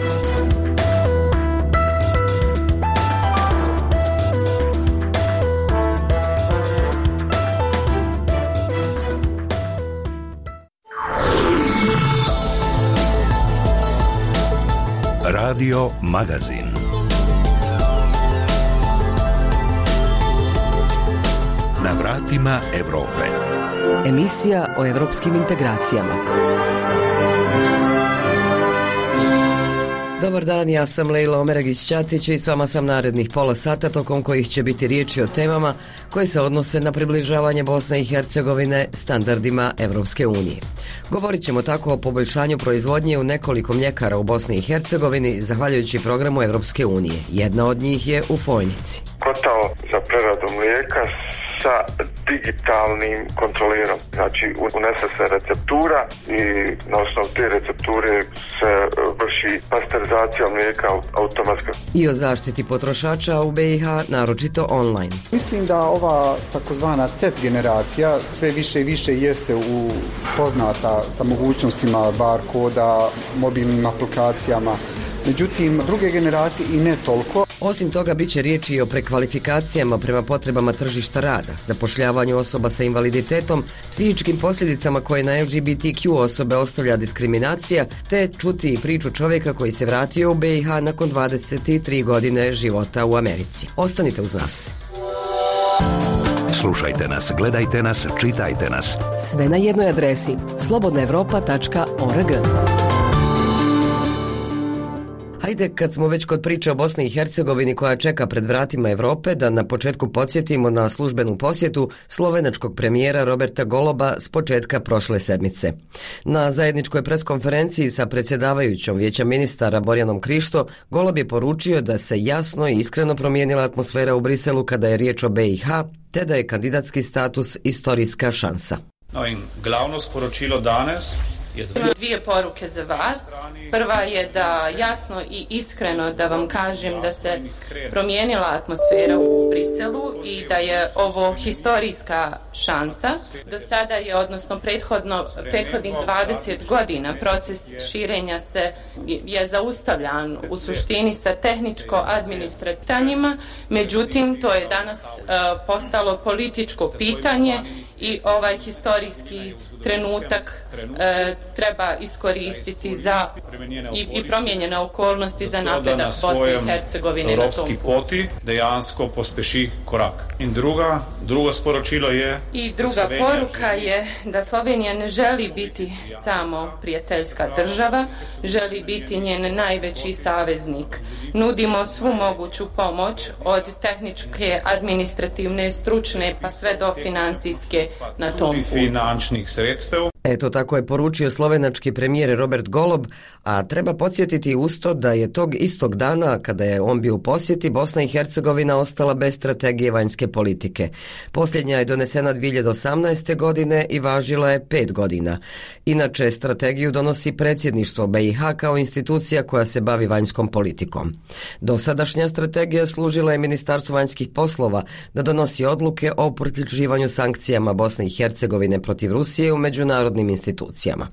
Radio Magazin. Na vratima Evrope. Emisija o evropskim integracijama. Dobar dan, ja sam Lejla Omeragić-Ćatić i s vama sam narednih pola sata tokom kojih će biti riječi o temama koje se odnose na približavanje Bosne i Hercegovine standardima Evropske unije. Govorit ćemo tako o poboljšanju proizvodnje u nekoliko mljekara u Bosni i Hercegovini zahvaljujući programu Evropske unije. Jedna od njih je u Fojnici. Kotao za preradu mlijeka sa digitalnim kontrolerom. Znači, unese se receptura i na osnovu te recepture se vrši pasterizacija mlijeka automatska. I o zaštiti potrošača u be i ha, naročito online. Mislim da ova takozvana C generacija sve više i više jeste u poznata sa mogućnostima bar koda, mobilnim aplikacijama. Međutim, druge generacije i ne toliko. Osim toga, bit će riječi i o prekvalifikacijama prema potrebama tržišta rada, zapošljavanju osoba sa invaliditetom, psihičkim posljedicama koje na el ge be te kju osobe ostavlja diskriminacija, te čuti priču čovjeka koji se vratio u be i ha nakon dvadeset tri godine života u Americi. Ostanite uz nas. Slušajte nas, gledajte nas, čitajte nas. Sve na jednoj adresi slobodna evropa tačka org. Hajde, kad smo već kod priče o Bosni i Hercegovini koja čeka pred vratima Evrope, da na početku podsjetimo na službenu posjetu slovenačkog premijera Roberta Goloba s početka prošle sedmice. Na zajedničkoj preskonferenciji sa predsjedavajućom Vijeća ministara Borjanom Krišto, Golob je poručio da se jasno i iskreno promijenila atmosfera u Briselu kada je riječ o be i ha, te da je kandidatski status istorijska šansa. No in glavno sporočilo danes Imam dvije poruke za vas. Prva je da jasno i iskreno da vam kažem da se promijenila atmosfera u Briselu i da je ovo historijska šansa. Do sada je, odnosno prethodno, prethodnih dvadeset godina proces širenja se je zaustavljan u suštini sa tehničko-administrativnima, međutim to je danas uh, postalo političko pitanje i ovaj historijski trenutak e, treba iskoristiti za i, i promijenjene okolnosti za napredak Bosne i Hercegovine na tom poti dejansko pospeši korak. In druga, drugo sporočilo je I druga poruka je da Slovenija ne želi biti samo prijateljska država, želi biti njen najveći saveznik. Nudimo svu moguću pomoć od tehničke, administrativne, stručne pa sve do financijske na tom putu. Eto, tako je poručio slovenački premijer Robert Golob, a treba podsjetiti usto da je tog istog dana, kada je on bio u posjeti, Bosna i Hercegovina ostala bez strategije vanjske politike. Posljednja je donesena dvije hiljade osamnaeste. godine i važila je pet godina. Inače, strategiju donosi predsjedništvo be i ha kao institucija koja se bavi vanjskom politikom. Dosadašnja strategija služila je Ministarstvu vanjskih poslova da donosi odluke o priključivanju sankcijama Bosne i Hercegovine protiv Rusije u međunarodnim institucijama.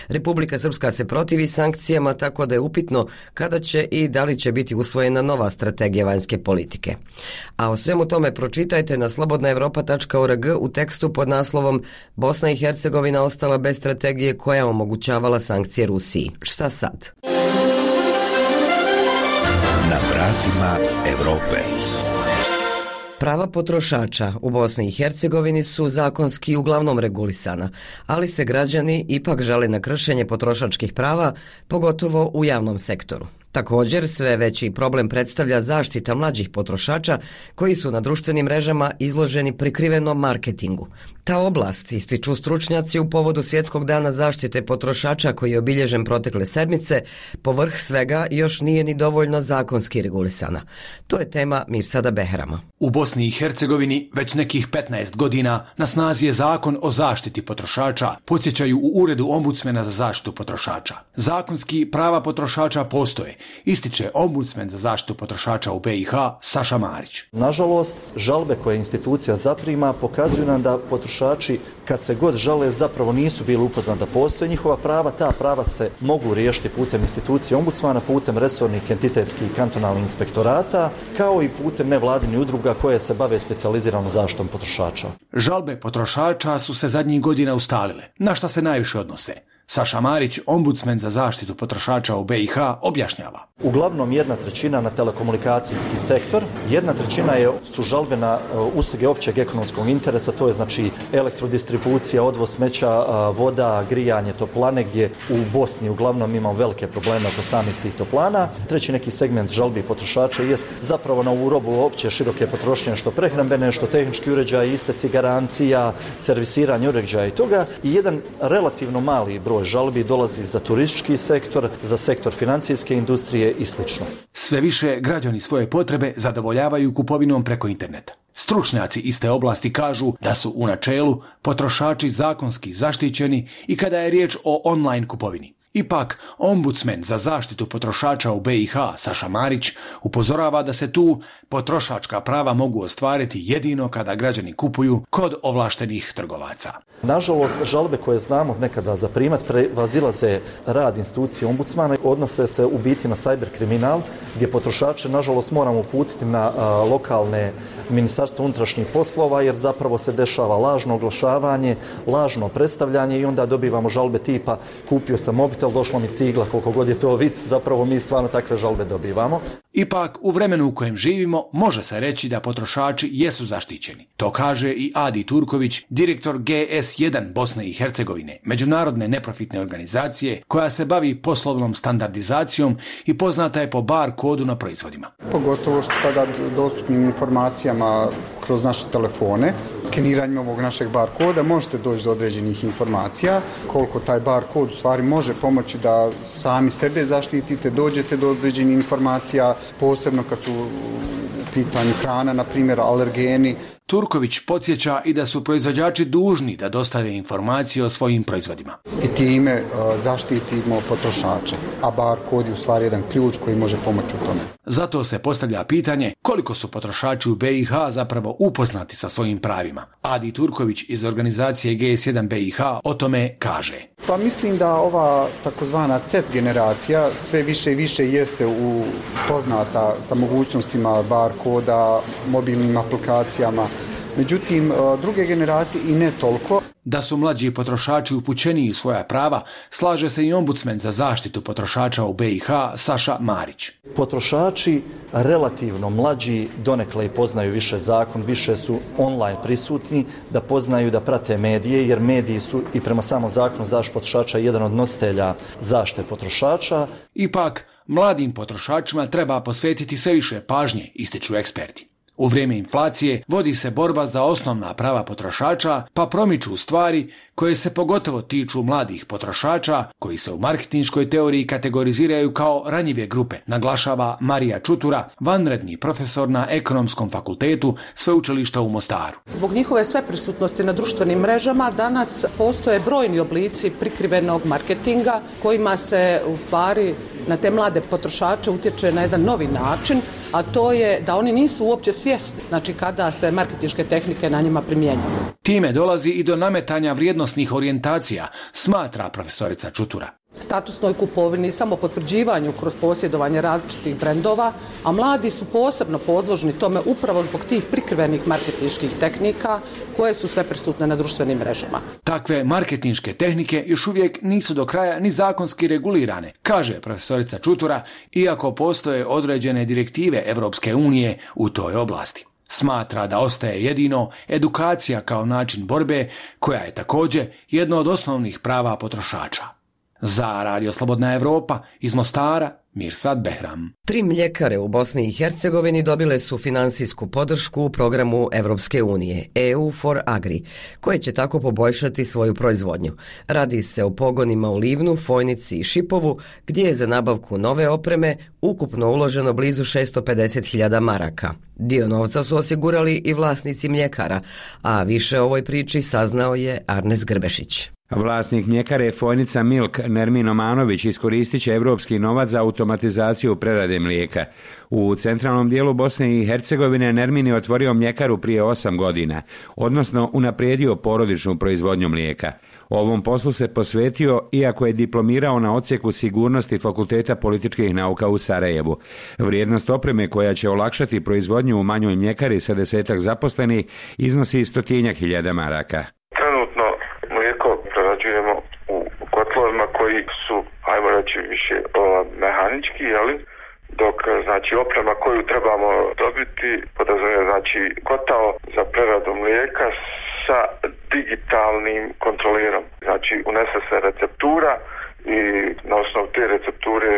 Republika Srpska se protivi sankcijama, tako da je upitno kada će i da li će biti usvojena nova strategija vanjske politike. A o svemu tome pročitajte čitajte na slobodna evropa tačka org u tekstu pod naslovom Bosna i Hercegovina ostala bez strategije koja je omogućavala sankcije Rusiji. Šta sad? Na vratima Evrope. Prava potrošača u Bosni i Hercegovini su zakonski uglavnom regulisana, ali se građani ipak žale na kršenje potrošačkih prava, pogotovo u javnom sektoru. Također, sve veći problem predstavlja zaštita mlađih potrošača koji su na društvenim mrežama izloženi prikrivenom marketingu. Ta oblast, ističu stručnjaci u povodu Svjetskog dana zaštite potrošača koji je obilježen protekle sedmice, povrh svega još nije ni dovoljno zakonski regulisana. To je tema Mirsada Behrama. U Bosni i Hercegovini već nekih petnaest godina na snazi je zakon o zaštiti potrošača, podsjećaju u Uredu ombudsmena za zaštitu potrošača. Zakonski prava potrošača postoje, ističe ombudsmen za zaštitu potrošača u B i H Saša Marić. Nažalost, žalbe koje institucija zaprima pokazuju nam da potrošači kad se god žale zapravo nisu bili upoznati da postoje njihova prava. Ta prava se mogu riješiti putem institucije ombudsmana, putem resornih entitetskih i kantonalnih inspektorata, kao i putem nevladinih udruga koje se bave specijaliziranom zaštitom potrošača. Žalbe potrošača su se zadnjih godina ustalile. Na šta se najviše odnose? Saša Marić, ombudsmen za zaštitu potrošača u B i H, objašnjava. Uglavnom jedna trećina na telekomunikacijski sektor, jedna trećina je, su žalbe na uh, usluge općeg ekonomskog interesa, to je znači elektrodistribucija, odvoz smeća, uh, voda, grijanje, toplane, gdje u Bosni uglavnom imamo velike probleme oko samih tih toplana. Treći neki segment žalbi potrošača jest zapravo na ovu robu opće široke potrošnje, što prehrambene, što tehnički uređaj, isteci garancija, servisiranje uređaja i toga. I jedan relativno mali broj žalbi dolazi za turistički sektor, za sektor financijske industrije i sl. Sve više građani svoje potrebe zadovoljavaju kupovinom preko interneta. Stručnjaci iste oblasti kažu da su u načelu potrošači zakonski zaštićeni i kada je riječ o online kupovini. Ipak, ombudsmen za zaštitu potrošača u B i H Saša Marić upozorava da se tu potrošačka prava mogu ostvariti jedino kada građani kupuju kod ovlaštenih trgovaca. Nažalost, žalbe koje znamo nekada zaprimat prevazilaze rad institucije ombudsmana, odnose se u biti na cyber kriminal, gdje potrošače nažalost moramo uputiti na a, lokalne ministarstvo unutrašnjih poslova, jer zapravo se dešava lažno oglašavanje, lažno predstavljanje i onda dobivamo žalbe tipa kupio sam mobitel, došla mi cigla, koliko god je to vic, zapravo mi stvarno takve žalbe dobivamo. Ipak, u vremenu u kojem živimo, može se reći da potrošači jesu zaštićeni. To kaže i Adi Turković, direktor G S jedan Bosne i Hercegovine, međunarodne neprofitne organizacije koja se bavi poslovnom standardizacijom i poznata je po bar kodu na proizvodima. Pogotovo što sada dostupnim informacijama kroz naše telefone, skeniranjem ovog našeg bar koda možete doći do određenih informacija, koliko taj bar kod u stvari može pomoći da sami sebe zaštitite, dođete do određenih informacija, posebno kad su u pitanju hrana, na primjer alergeni. Turković podsjeća i da su proizvođači dužni da dostave informacije o svojim proizvodima. I time uh, zaštitimo potrošača, a bar kod je u stvari jedan ključ koji može pomoći u tome. Zato se postavlja pitanje koliko su potrošači u B i H zapravo upoznati sa svojim pravima. Adi Turković iz organizacije G S jedan B i H o tome kaže. Pa mislim da ova takozvana Z generacija sve više i više jeste u poznata sa mogućnostima bar koda, mobilnim aplikacijama. Međutim, druge generacije i ne toliko. Da su mlađi potrošači upućeniji u svoja prava, slaže se i ombudsmen za zaštitu potrošača u B i H Saša Marić. Potrošači relativno mlađi donekle i poznaju više zakon, više su online prisutni, da poznaju, da prate medije, jer mediji su i prema samom zakonu zaštite potrošača jedan od nositelja zaštite potrošača. Ipak, mladim potrošačima treba posvetiti sve više pažnje, ističu eksperti. U vrijeme inflacije vodi se borba za osnovna prava potrošača, pa promiču stvari koje se pogotovo tiču mladih potrošača, koji se u marketinškoj teoriji kategoriziraju kao ranjive grupe, naglašava Marija Čutura, vanredni profesor na Ekonomskom fakultetu Sveučilišta u Mostaru. Zbog njihove sveprisutnosti na društvenim mrežama danas postoje brojni oblici prikrivenog marketinga kojima se u stvari na te mlade potrošače utječe na jedan novi način, a to je da oni nisu uopće svjesni, znači kada se marketinške tehnike na njima primjenjuju. Time dolazi i do nametanja vrijednosnih orijentacija, smatra profesorica Čutura. statusnoj kupovini, samo potvrđivanju kroz posjedovanje različitih brendova, a mladi su posebno podložni tome upravo zbog tih prikrivenih marketinških tehnika koje su sve prisutne na društvenim mrežama. Takve marketinške tehnike još uvijek nisu do kraja ni zakonski regulirane, kaže profesorica Čutura, iako postoje određene direktive Evropske unije u toj oblasti. Smatra da ostaje jedino edukacija kao način borbe, koja je također jedno od osnovnih prava potrošača. Za Radio Slobodna Evropa iz Mostara, Mirsad Behram. Tri mljekare u Bosni i Hercegovini dobile su finansijsku podršku u programu Evropske unije E U for Agri, koje će tako poboljšati svoju proizvodnju. Radi se o pogonima u Livnu, Fojnici i Šipovu, gdje je za nabavku nove opreme ukupno uloženo blizu šesto pedeset hiljada maraka. Dio novca su osigurali i vlasnici mljekara, a više o ovoj priči saznao je Arnes Grbešić. Vlasnik mljekare Fojnica Milk Nermin Omanović iskoristit će evropski novac za automatizaciju prerade mlijeka. U centralnom dijelu Bosne i Hercegovine Nermin je otvorio mljekaru prije osam godina, odnosno unaprijedio porodičnu proizvodnju mlijeka. Ovom poslu se posvetio iako je diplomirao na odsjeku sigurnosti Fakulteta političkih nauka u Sarajevu. Vrijednost opreme koja će olakšati proizvodnju u manjoj mljekari sa desetak zaposlenih iznosi stotinjak hiljada maraka. Trenutno mlijeko prerađujemo u kotlovima koji su, ajmo reći, više o, mehanički, jeli? Dok znači oprema koju trebamo dobiti podrazumijeva znači kotao za preradu mlijeka sa digitalnim kontrolerom. Znači unese se receptura i na osnovu te recepture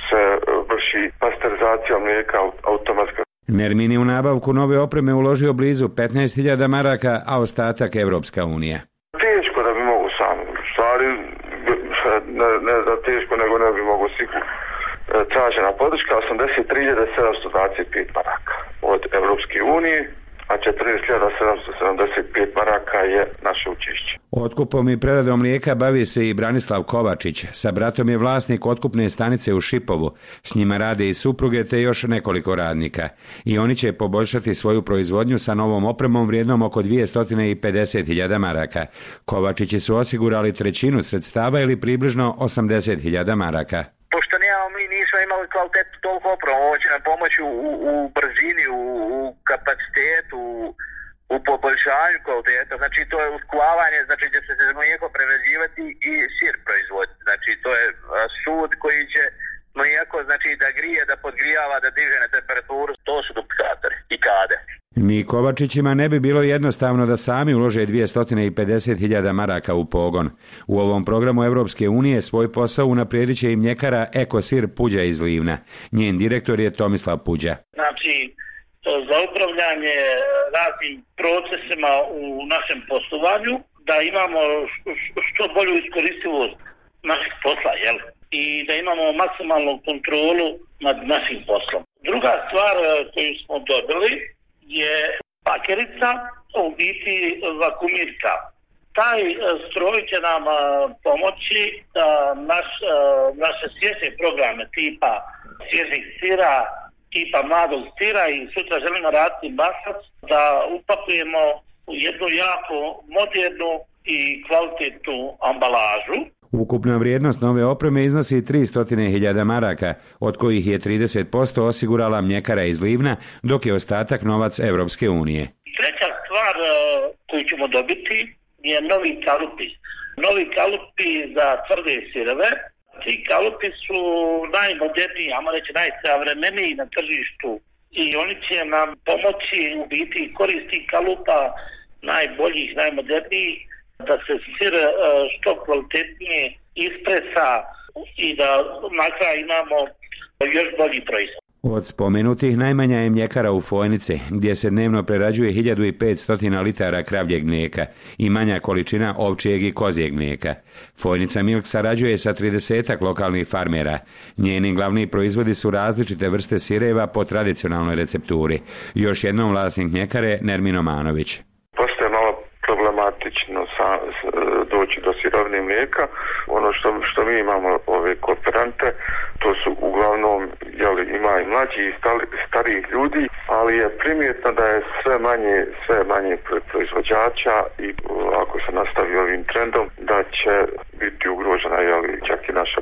se vrši pasterizacija mlijeka automatska. Nermin je u nabavku nove opreme uložio blizu petnaest hiljada maraka, a ostatak Evropska unija. Teško da bi mogu sam. Stvari, ne, ne da teško, nego ne bi mogu sigurno. Tražena podrška osamdeset tri hiljade sedamsto dvadeset pet maraka od Evropske unije, a četrnaest hiljada sedamsto sedamdeset pet maraka je naše učešće. Otkupom i preradom mlijeka bavi se i Branislav Kovačić. Sa bratom je vlasnik otkupne stanice u Šipovu. S njima rade i supruge te još nekoliko radnika. I oni će poboljšati svoju proizvodnju sa novom opremom vrijednom oko dvjesto pedeset hiljada maraka. Kovačići su osigurali trećinu sredstava ili približno osamdeset hiljada maraka. Pošto nemamo, mi nismo imali kvalitetu toliko opremu, ovo će nam pomoći u, u, u brzini, u, u kapacitetu, u, u poboljšanju kvaliteta. Znači to je usklavanje, znači gdje se mlijeko prerađivati i sir proizvoditi. Znači to je sud koji će mlijeko znači da grije, da podgrijava, da diže na temperaturu. To su duplikatori i kade. Ni Kovačićima ne bi bilo jednostavno da sami ulože dvjesto pedeset hiljada maraka u pogon. U ovom programu Evropske unije svoj posao unaprijedit će i mljekara Ekosir Puđa iz Livna. Njen direktor je Tomislav Puđa. Znači, za upravljanje raznim procesima u našem poslovanju, da imamo što bolju iskoristivost naših posla, jel? I da imamo maksimalnu kontrolu nad našim poslom. Druga stvar koju smo dobili je pakerica, u biti vakumirka. Taj stroj će nam pomoći da naš, naše svježe programe tipa svježih sira, tipa mladog sira i sutra želimo raditi masac, da upakujemo u jednu jako modernu i kvalitetnu ambalažu. Ukupna vrijednost nove opreme iznosi tristo hiljada maraka, od kojih je trideset posto osigurala mljekara iz Livna, dok je ostatak novac Evropske unije. Treća stvar koju ćemo dobiti je novi kalupi. Novi kalupi za tvrde sireve. Ti kalupi su najmoderniji, ajmo reći najsavremeniji na tržištu i oni će nam pomoći u biti koristi kalupa najboljih, najmodernijih, da se sir što kvalitetnije ispresa i da na kraju imamo još bolji proizvod. Od spomenutih najmanja je mljekara u Fojnici, gdje se dnevno prerađuje hiljadu petsto litara kravljeg mlijeka i manja količina ovčijeg i kozijeg mlijeka. Fojnica Milk sarađuje sa tridesetak lokalnih farmera. Njeni glavni proizvodi su različite vrste sireva po tradicionalnoj recepturi. Još jednom vlasnik mljekare Nermin Omanović. Postoje malo problematično sa, doći do sirovine mlijeka. Ono što, što mi imamo ove kooperante, to su uglavnom, jeli, ima i mlađi i stari, starijih ljudi, ali je primjetno da je sve manje, sve manje proizvođača i ako se nastavi ovim trendom, da će biti ugrožena, jeli, čak i naša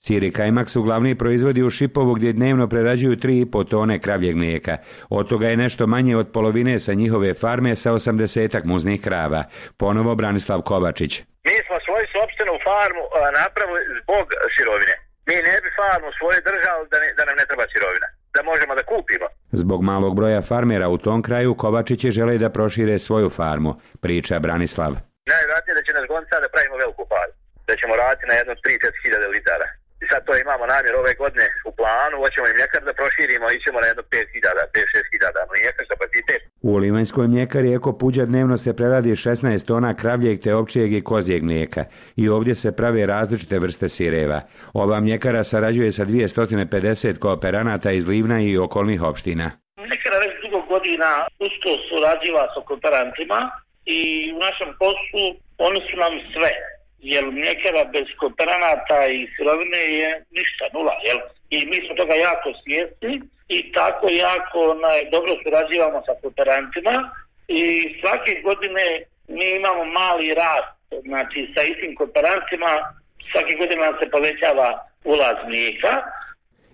Ciri kajmak su glavni proizvodi u Šipovu gdje dnevno prerađuju tri i po tone kravljeg mlijeka. Od toga je nešto manje od polovine sa njihove farme sa osamdesetak muznih krava. Ponovo Branislav Kovačić. Mi smo svoju sopstvenu farmu napravili zbog sirovine. Mi ne bi farmu svoju držali da, ne, da nam ne treba sirovina, da možemo da kupimo. Zbog malog broja farmera u tom kraju Kovačići žele da prošire svoju farmu, priča Branislav. Najvjerojatnije da će nas gonca da pravimo veliku farmu, da ćemo raditi na jedno tri do četiri hiljade litara. I sad to imamo namjer ove godine u planu, hoćemo i mljekar da proširimo, ićemo na jedno pet hiljada, pet do šest hiljada mlijeka kapacitet. U Livanjskoj mljekari Eko Puđa dnevno se preradi šesnaest tona kravljeg te ovčijeg i kozijeg mlijeka i ovdje se prave različite vrste sireva. Ova mljekara sarađuje sa dvjesto pedeset kooperanata iz Livna i okolnih opština. Mljekara već dugo godina usko surađiva sa kooperantima i u našem poslu oni su nam sve. Jer mljekara bez kooperanata i sirovine je ništa, nula, jel? I mi smo toga jako svjesni i tako jako onaj, dobro surađivamo sa kooperantima i svake godine mi imamo mali rast, znači sa istim kooperantima svake godine nam se povećava ulaz mlijeka.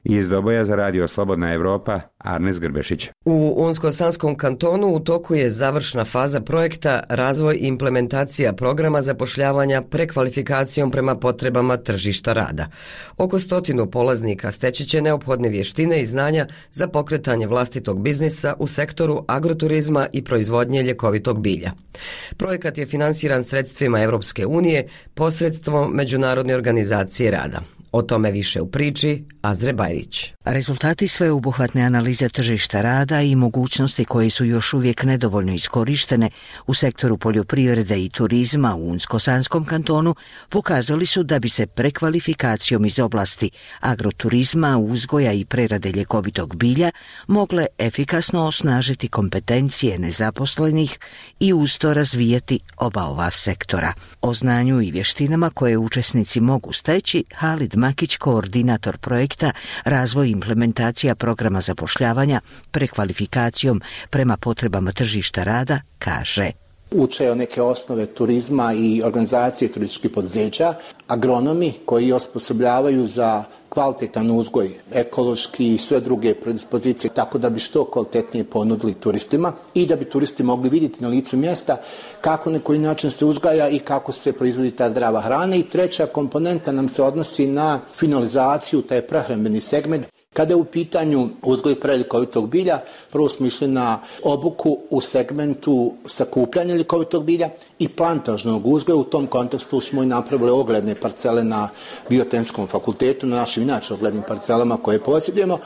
Iz Doboja za radio Slobodna Evropa, Arnes Grbešić. U Unsko-Sanskom kantonu u toku je završna faza projekta razvoj i implementacija programa zapošljavanja prekvalifikacijom prema potrebama tržišta rada. Oko stotinu polaznika steći će neophodne vještine i znanja za pokretanje vlastitog biznisa u sektoru agroturizma i proizvodnje ljekovitog bilja. Projekat je finansiran sredstvima Europske unije posredstvom Međunarodne organizacije rada. O tome više u priči Azre Bajrić. Rezultati sveobuhvatne analize tržišta rada i mogućnosti koje su još uvijek nedovoljno iskorištene u sektoru poljoprivrede i turizma u Unsko-Sanskom kantonu pokazali su da bi se prekvalifikacijom iz oblasti agroturizma, uzgoja i prerade ljekovitog bilja mogle efikasno osnažiti kompetencije nezaposlenih i uz to razvijati oba ova sektora. O znanju i vještinama koje učesnici mogu steći, Halid Makić, koordinator projekta Razvoj i implementacija programa zapošljavanja prekvalifikacijom prema potrebama tržišta rada, kaže: Uče neke osnove turizma i organizacije turističkih poduzeća, agronomi koji osposobljavaju za kvalitetan uzgoj, ekološki i sve druge predispozicije, tako da bi što kvalitetnije ponudili turistima i da bi turisti mogli vidjeti na licu mjesta kako na koji način se uzgaja i kako se proizvodi ta zdrava hrana. I treća komponenta nam se odnosi na finalizaciju, taj prehrambeni segment. Kada je u pitanju uzgoj i prerada ljekovitog bilja, prvo smo išli na obuku u segmentu sakupljanja ljekovitog bilja i plantažnog uzgoja. U tom kontekstu smo i napravili ogledne parcele na Biotehničkom fakultetu, na našim inače oglednim parcelama koje posjedujemo.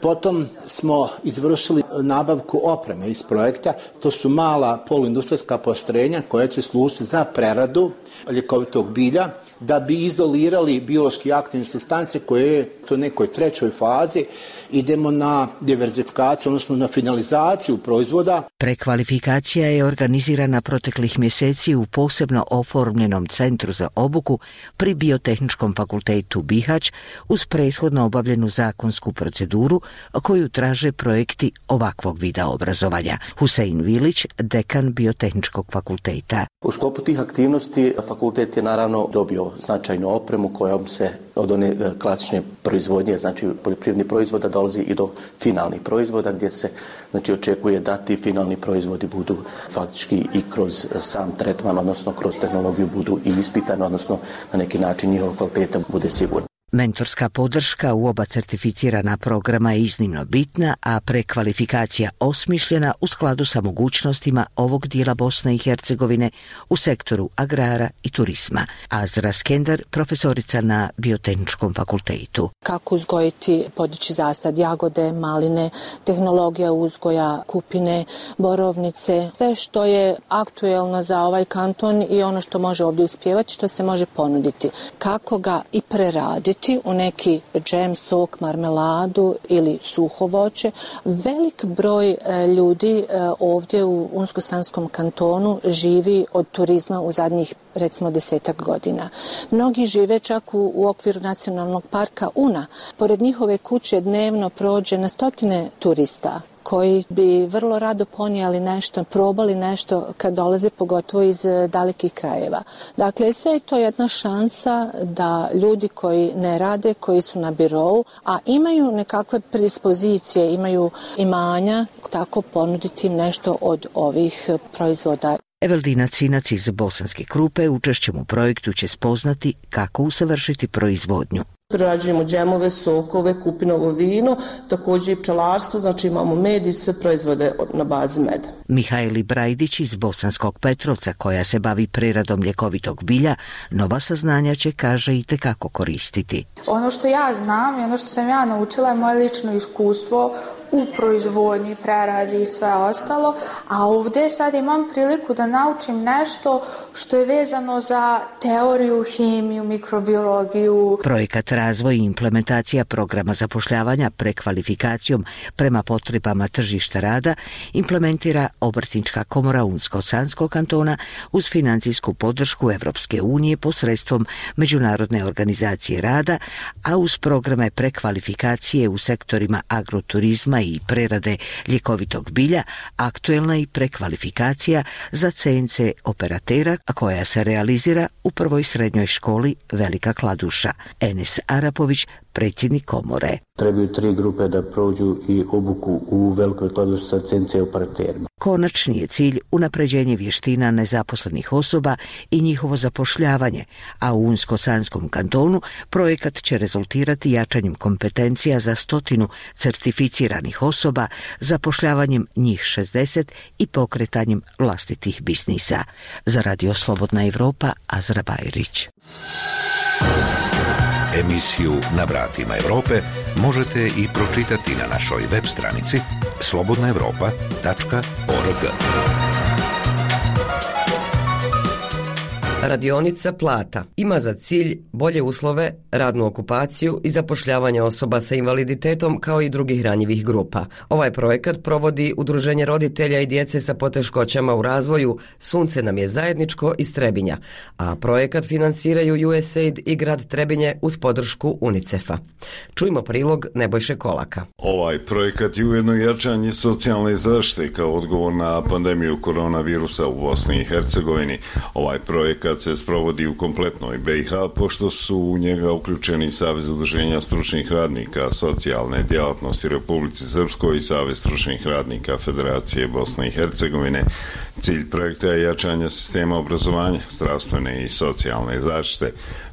Potom smo izvršili nabavku opreme iz projekta. To su mala poluindustrijska postrojenja koja će služiti za preradu ljekovitog bilja, da bi izolirali biološki aktivne supstance koje je u nekoj trećoj fazi. Idemo na diverzifikaciju, odnosno na finalizaciju proizvoda. Prekvalifikacija je organizirana proteklih mjeseci u posebno oformljenom centru za obuku pri Biotehničkom fakultetu Bihać uz prethodno obavljenu zakonsku proceduru koju traže projekti ovakvog vida obrazovanja. Husein Vilić, dekan Biotehničkog fakulteta. U sklopu tih aktivnosti fakultet je naravno dobio značajnu opremu kojom se od one klasične proizvodnje, znači poljoprivrednih proizvoda, dolazi i do finalnih proizvoda gdje se znači očekuje da ti finalni proizvodi budu faktički i kroz sam tretman, odnosno kroz tehnologiju budu i ispitani, odnosno na neki način njihova kvaliteta bude sigurna. Mentorska podrška u oba certificirana programa je iznimno bitna, a prekvalifikacija osmišljena u skladu sa mogućnostima ovog dijela Bosne i Hercegovine u sektoru agrara i turizma. Azra Skender, profesorica na Biotehničkom fakultetu. Kako uzgojiti, podići zasad jagode, maline, tehnologija uzgoja kupine, borovnice, sve što je aktuelno za ovaj kanton i ono što može ovdje uspjevati, što se može ponuditi. Kako ga i preraditi u neki džem, sok, marmeladu ili suho voće. Velik broj ljudi ovdje u Unsko-Sanskom kantonu živi od turizma u zadnjih recimo desetak godina. Mnogi žive čak u, u okviru nacionalnog parka Una. Pored njihove kuće dnevno prođe na stotine turista. koji bi vrlo rado ponijeli nešto, probali nešto kad dolaze pogotovo iz dalekih krajeva. Dakle, sve je to jedna šansa da ljudi koji ne rade, koji su na birou, a imaju nekakve predispozicije, imaju imanja, tako ponuditi im nešto od ovih proizvoda. Evaldina Cinac iz Bosanske Krupe učešćem u projektu će spoznati kako usavršiti proizvodnju. Prerađujemo džemove, sokove, kupinovo vino, također i pčelarstvo, znači imamo med i sve proizvode na bazi meda. Mihajli Brajdić iz Bosanskog Petrovca, koja se bavi preradom ljekovitog bilja, nova saznanja će, kaže, i tekako koristiti. Ono što ja znam i ono što sam ja naučila je moje lično iskustvo u proizvodnji, preradi i sve ostalo, a ovdje sad imam priliku da naučim nešto što je vezano za teoriju, hemiju, mikrobiologiju. Projekat razvoj i implementacija programa zapošljavanja prekvalifikacijom prema potrebama tržišta rada implementira Obrtnička komora Unsko-Sanskog kantona uz financijsku podršku Evropske unije posredstvom Međunarodne organizacije rada, a uz programe prekvalifikacije u sektorima agroturizma i prerade ljekovitog bilja, aktuelna i prekvalifikacija za C N C operatera, a koja se realizira u prvoj srednjoj školi Velika Kladuša. Enes Arapović, predsjednik komore. Trebaju tri grupe da prođu i obuku u Velikoj Kladuši sa C N C operaterima. Konačni je cilj unapređenje vještina nezaposlenih osoba i njihovo zapošljavanje, a u Unsko-Sanskom kantonu projekat će rezultirati jačanjem kompetencija za stotinu certificiranih osoba, zapošljavanjem njih šezdeset i pokretanjem vlastitih biznisa. Za Radio Slobodna Evropa, Azra Bajrić. Emisiju Na vratima Europe možete i pročitati na našoj web stranici slobodna evropa tačka org. Radionica Plata ima za cilj bolje uslove, radnu okupaciju i zapošljavanje osoba sa invaliditetom kao i drugih ranjivih grupa. Ovaj projekat provodi Udruženje roditelja i djece sa poteškoćama u razvoju Sunce nam je zajedničko iz Trebinja, a projekat finansiraju U S A I D i grad Trebinje uz podršku UNICEF-a. Čujmo prilog Nebojše Kolaka. Ovaj projekat je ujedno jačanje socijalne zaštite kao odgovor na pandemiju koronavirusa u Bosni i Hercegovini. Ovaj projekat se sprovodi u kompletnoj B i H, pošto su u njega uključeni Savez udruženja stručnih radnika socijalne djelatnosti Republici Srpskoj i Savez stručnih radnika Federacije Bosne i Hercegovine. Cilj projekta je jačanje sistema obrazovanja, zdravstvene i socijalne zaštite.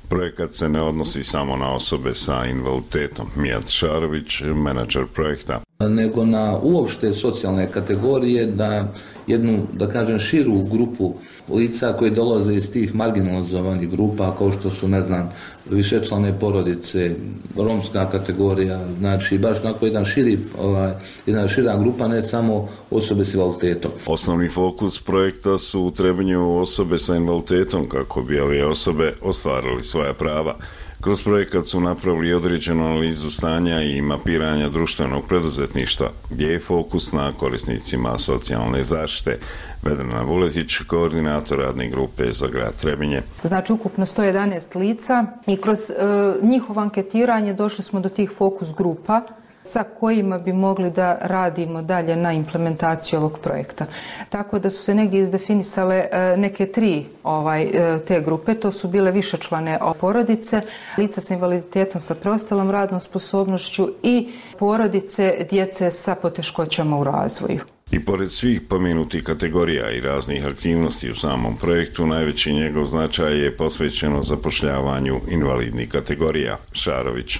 Projekat se ne odnosi samo na osobe sa invaliditetom. Mijat Šarović, menadžer projekta. Nego na uopšte socijalne kategorije, da jednu, da kažem, širu grupu lica koji dolaze iz tih marginalizovanih grupa, kao što su, ne znam, višečlane porodice, romska kategorija, znači baš onako jedan širi, ovaj, jedna šira grupa, ne samo osobe s invaliditetom. Osnovni fokus projekta su u Trebinju osobe sa invaliditetom kako bi ove osobe ostvarili svoja prava. Kroz projekat su napravili određenu analizu stanja i mapiranja društvenog preduzetništva, gdje je fokus na korisnicima socijalne zaštite. Vedrana Vuletić, koordinator radne grupe za grad Trebinje. Znači ukupno sto jedanaest lica i kroz e, njihovo anketiranje došli smo do tih fokus grupa sa kojima bi mogli da radimo dalje na implementaciji ovog projekta. Tako da su se negdje izdefinisale neke tri ovaj, te grupe, to su bile višečlane porodice, lica sa invaliditetom sa preostalom radnom sposobnošću i porodice djece sa poteškoćama u razvoju. I pored svih pomenutih kategorija i raznih aktivnosti u samom projektu, najveći njegov značaj je posvećeno zapošljavanju invalidnih kategorija. Šarović.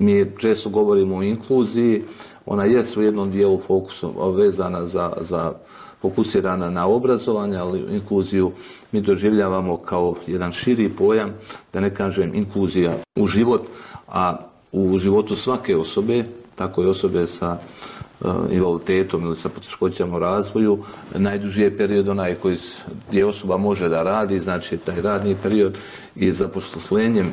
Mi često govorimo o inkluziji, ona je u jednom dijelu fokusu vezana za, za fokusirana na obrazovanje, ali inkluziju mi doživljavamo kao jedan širi pojam, da ne kažem inkluzija u život, a u životu svake osobe, tako i osobe sa invaliditetom ili sa poteškoćama u razvoju, najduži je period onaj koji gdje osoba može da radi, znači taj radni period, i zaposlenjem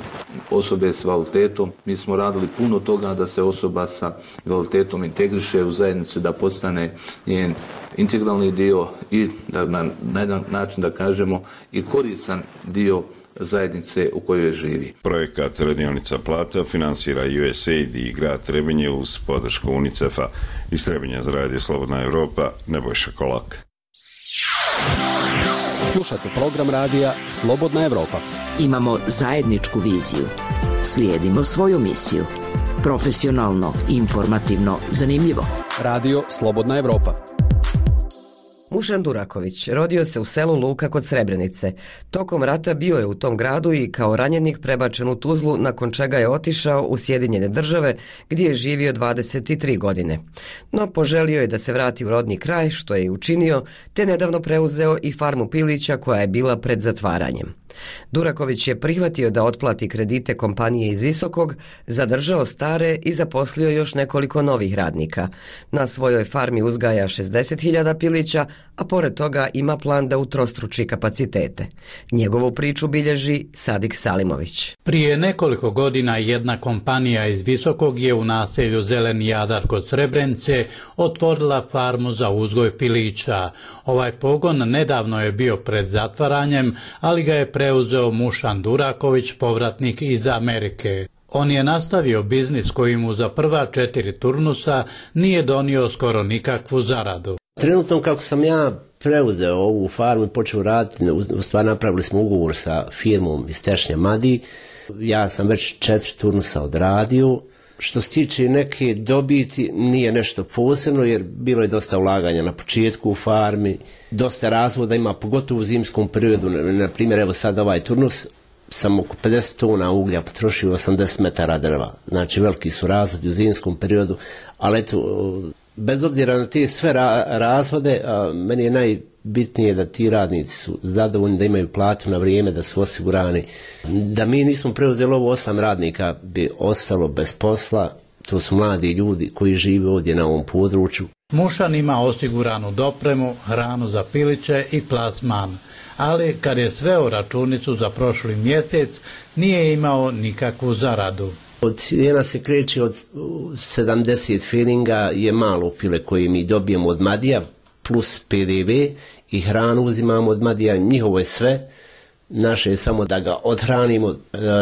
osobe s invaliditetom mi smo radili puno toga da se osoba sa invaliditetom integriše u zajednicu, da postane njen integralni dio i da na, na jedan način da kažemo i koristan dio zajednice u kojoj živi. Projekat Radionica Plata finansira U S A I D i grad Trebinje uz podršku UNICEF-a. Iz Trebinja za Radio Slobodna Evropa, Nebojša Kolak. Slušate program radija Slobodna Evropa. Imamo zajedničku viziju. Slijedimo svoju misiju. Profesionalno, informativno, zanimljivo. Radio Slobodna Evropa. Mušan Duraković rodio se u selu Luka kod Srebrenice. Tokom rata bio je u tom gradu i kao ranjenik prebačen u Tuzlu, nakon čega je otišao u Sjedinjene Države gdje je živio dvadeset tri godine. No poželio je da se vrati u rodni kraj, što je i učinio, te nedavno preuzeo i farmu pilića koja je bila pred zatvaranjem. Duraković je prihvatio da otplati kredite kompanije iz Visokog, zadržao stare i zaposlio još nekoliko novih radnika. Na svojoj farmi uzgaja šezdeset hiljada pilića, a pored toga ima plan da utrostruči kapacitete. Njegovu priču bilježi Sadik Salimović. Prije nekoliko godina jedna kompanija iz Visokog je u naselju Zeleni Jadar kod Srebrenice otvorila farmu za uzgoj pilića. Ovaj pogon nedavno je bio pred zatvaranjem, ali ga je preuzeo Mušan Duraković, povratnik iz Amerike. On je nastavio biznis koji mu za prva četiri turnusa nije donio skoro nikakvu zaradu. Trenutno kako sam ja preuzeo ovu farmu i počeo raditi, u stvari napravili smo ugovor sa firmom iz Tešnja Madi. Ja sam već četiri turnusa odradio. Što se tiče neke dobiti, nije nešto posebno jer bilo je dosta ulaganja na početku u farmi, dosta razvoda ima, pogotovo u zimskom periodu. Na primjer, evo sad ovaj turnus sam oko pedeset tona uglja potrošio, osamdeset metara drva. Znači veliki su razvodi u zimskom periodu, ali eto, bez obzira na te sve ra- razvode, a, meni je najbitnije da ti radnici su zadovoljni, da imaju platu na vrijeme, da su osigurani. Da mi nismo preuzeli ovo, osam radnika bi ostalo bez posla. To su mladi ljudi koji žive ovdje na ovom području. Mušan ima osiguranu dopremu, hranu za piliće i plasman, ali kad je sveo računicu za prošli mjesec, nije imao nikakvu zaradu. Cijena se kreće od sedamdeset feninga, je malo pile koje mi dobijemo od Madija, plus P D V i hranu uzimamo od Madija, njihovo je sve. Naše je samo da ga odhranimo,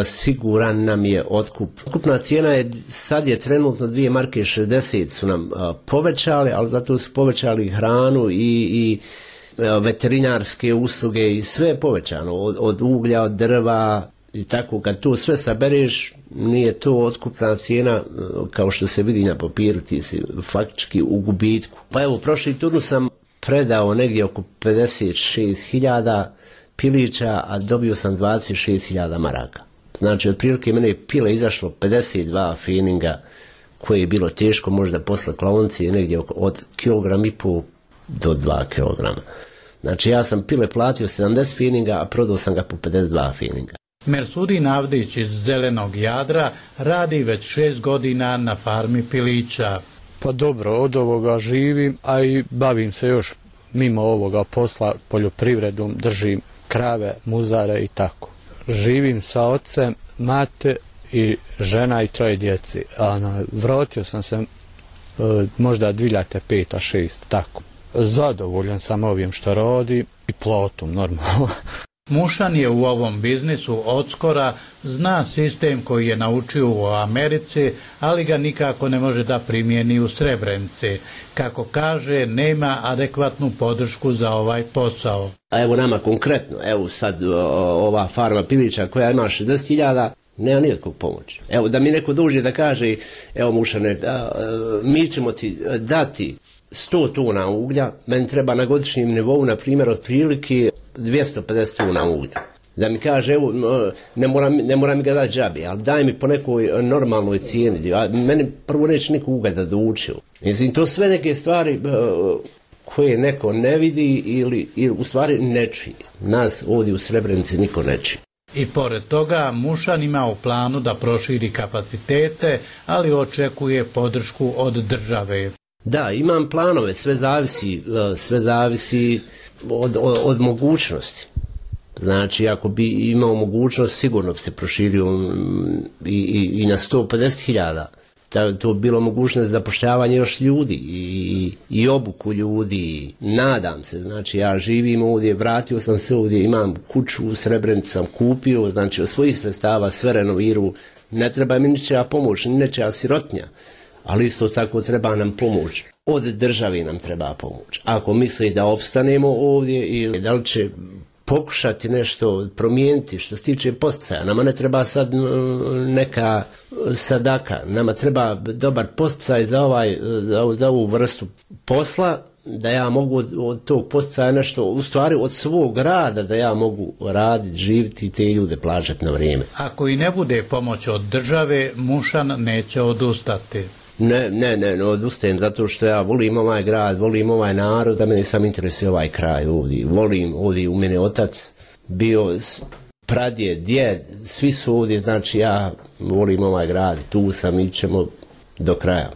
siguran nam je otkup. Otkupna cijena je, sad je trenutno dvije marke šezdeset su nam povećali, ali zato su povećali hranu i, i veterinarske usluge i sve je povećano, od, od uglja, od drva i tako. Kad to sve sabereš, nije to otkupna cijena kao što se vidi na papiru, ti si faktički u gubitku. Pa evo, prošli turnus sam predao negdje oko pedeset šest hiljada pilića, a dobio sam dvadeset šest hiljada maraka. Znači, otprilike mene je pila izašlo pedeset dva feninga, koje je bilo teško možda posle klaoncije, negdje od kilogram i pol do dva kilograma. Znači, ja sam pile platio sedamdeset feninga, a prodao sam ga po pedeset dva feninga. Mersudin Avdić iz Zelenog Jadra radi već šest godina na farmi pilića. Pa dobro, od ovoga živim, a i bavim se još mimo ovoga posla poljoprivredom, držim krave, muzare i tako. Živim sa ocem, mate i žena i troje djeci. A na, vratio sam se e, možda dvije hiljade pet šest, tako. Zadovoljan sam ovim što radi i platom normalno. Mušan je u ovom biznisu odskora, zna sistem koji je naučio u Americi, ali ga nikako ne može da primijeni u Srebrenici. Kako kaže, nema adekvatnu podršku za ovaj posao. A evo nama konkretno, evo sad ova farma pilića koja ima šezdeset hiljada, nema nijetkog pomoći. Evo da mi neko dođe da kaže, evo Mušane, mi ćemo ti dati sto tona uglja, meni treba na godišnjem nivou, na primjer, otprilike dvjesto pedeset tona uglja. Da mi kaže, evo, ne mora, ne mora mi ga dati džabe, ali daj mi po nekoj normalnoj cijeni. A meni prvo neće niko uglja da doučio. Mislim, to sve neke stvari koje neko ne vidi ili, ili u stvari ne čuje. Nas ovdje u Srebrenici niko ne čuje. I pored toga, Mušan ima u planu da proširi kapacitete, ali očekuje podršku od države. Da, imam planove, sve zavisi, sve zavisi od, od, od mogućnosti. Znači, ako bi imao mogućnost, sigurno bi se proširio i, i, i na sto pedeset hiljada. ta, to bilo mogućnost zapošljavanja još ljudi i, i obuku ljudi. Nadam se, znači ja živim ovdje, vratio sam se ovdje, imam kuću u Srebrenici sam kupio, znači od svojih sredstava sve renoviru, ne treba mi ničija pomoć, ni nečija sirotnja, ali isto tako treba nam pomoć. Od države nam treba pomoć. Ako misli da opstanemo ovdje ili da li će pokušati nešto promijeniti što se tiče poticaja. Nama ne treba sad neka sadaka, nama treba dobar posticaj za, ovaj, za, za ovu vrstu posla, da ja mogu od, od tog poticaja nešto, u stvari od svog rada, da ja mogu raditi, živjeti i te ljude plaćati na vrijeme. Ako i ne bude pomoć od države, Mušan neće odustati. Ne, ne, ne, ne odustajem zato što ja volim ovaj grad, volim ovaj narod, da mene sam interesuje ovaj kraj ovdje. Volim ovdje, u mene otac bio pradjed, djed, svi su ovdje, znači ja volim ovaj grad, tu sam i ćemo do kraja.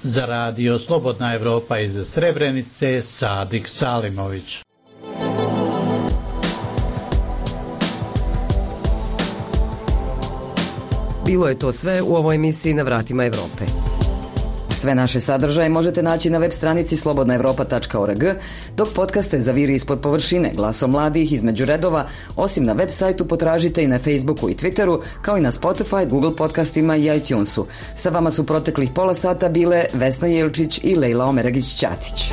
Za radio Slobodna Evropa iz Srebrenice, Sadik Salimović. Bilo je to sve u ovoj emisiji Na vratima Evrope. Sve naše sadržaje možete naći na web stranici slobodna evropa tačka org, dok podcaste Zaviri ispod površine, Glasom mladih, Između redova, osim na web sajtu potražite i na Facebooku i Twitteru, kao i na Spotify, Google podcastima i iTunesu. Sa vama su proteklih pola sata bile Vesna Jelčić i Lejla Omeragić-Ćatić.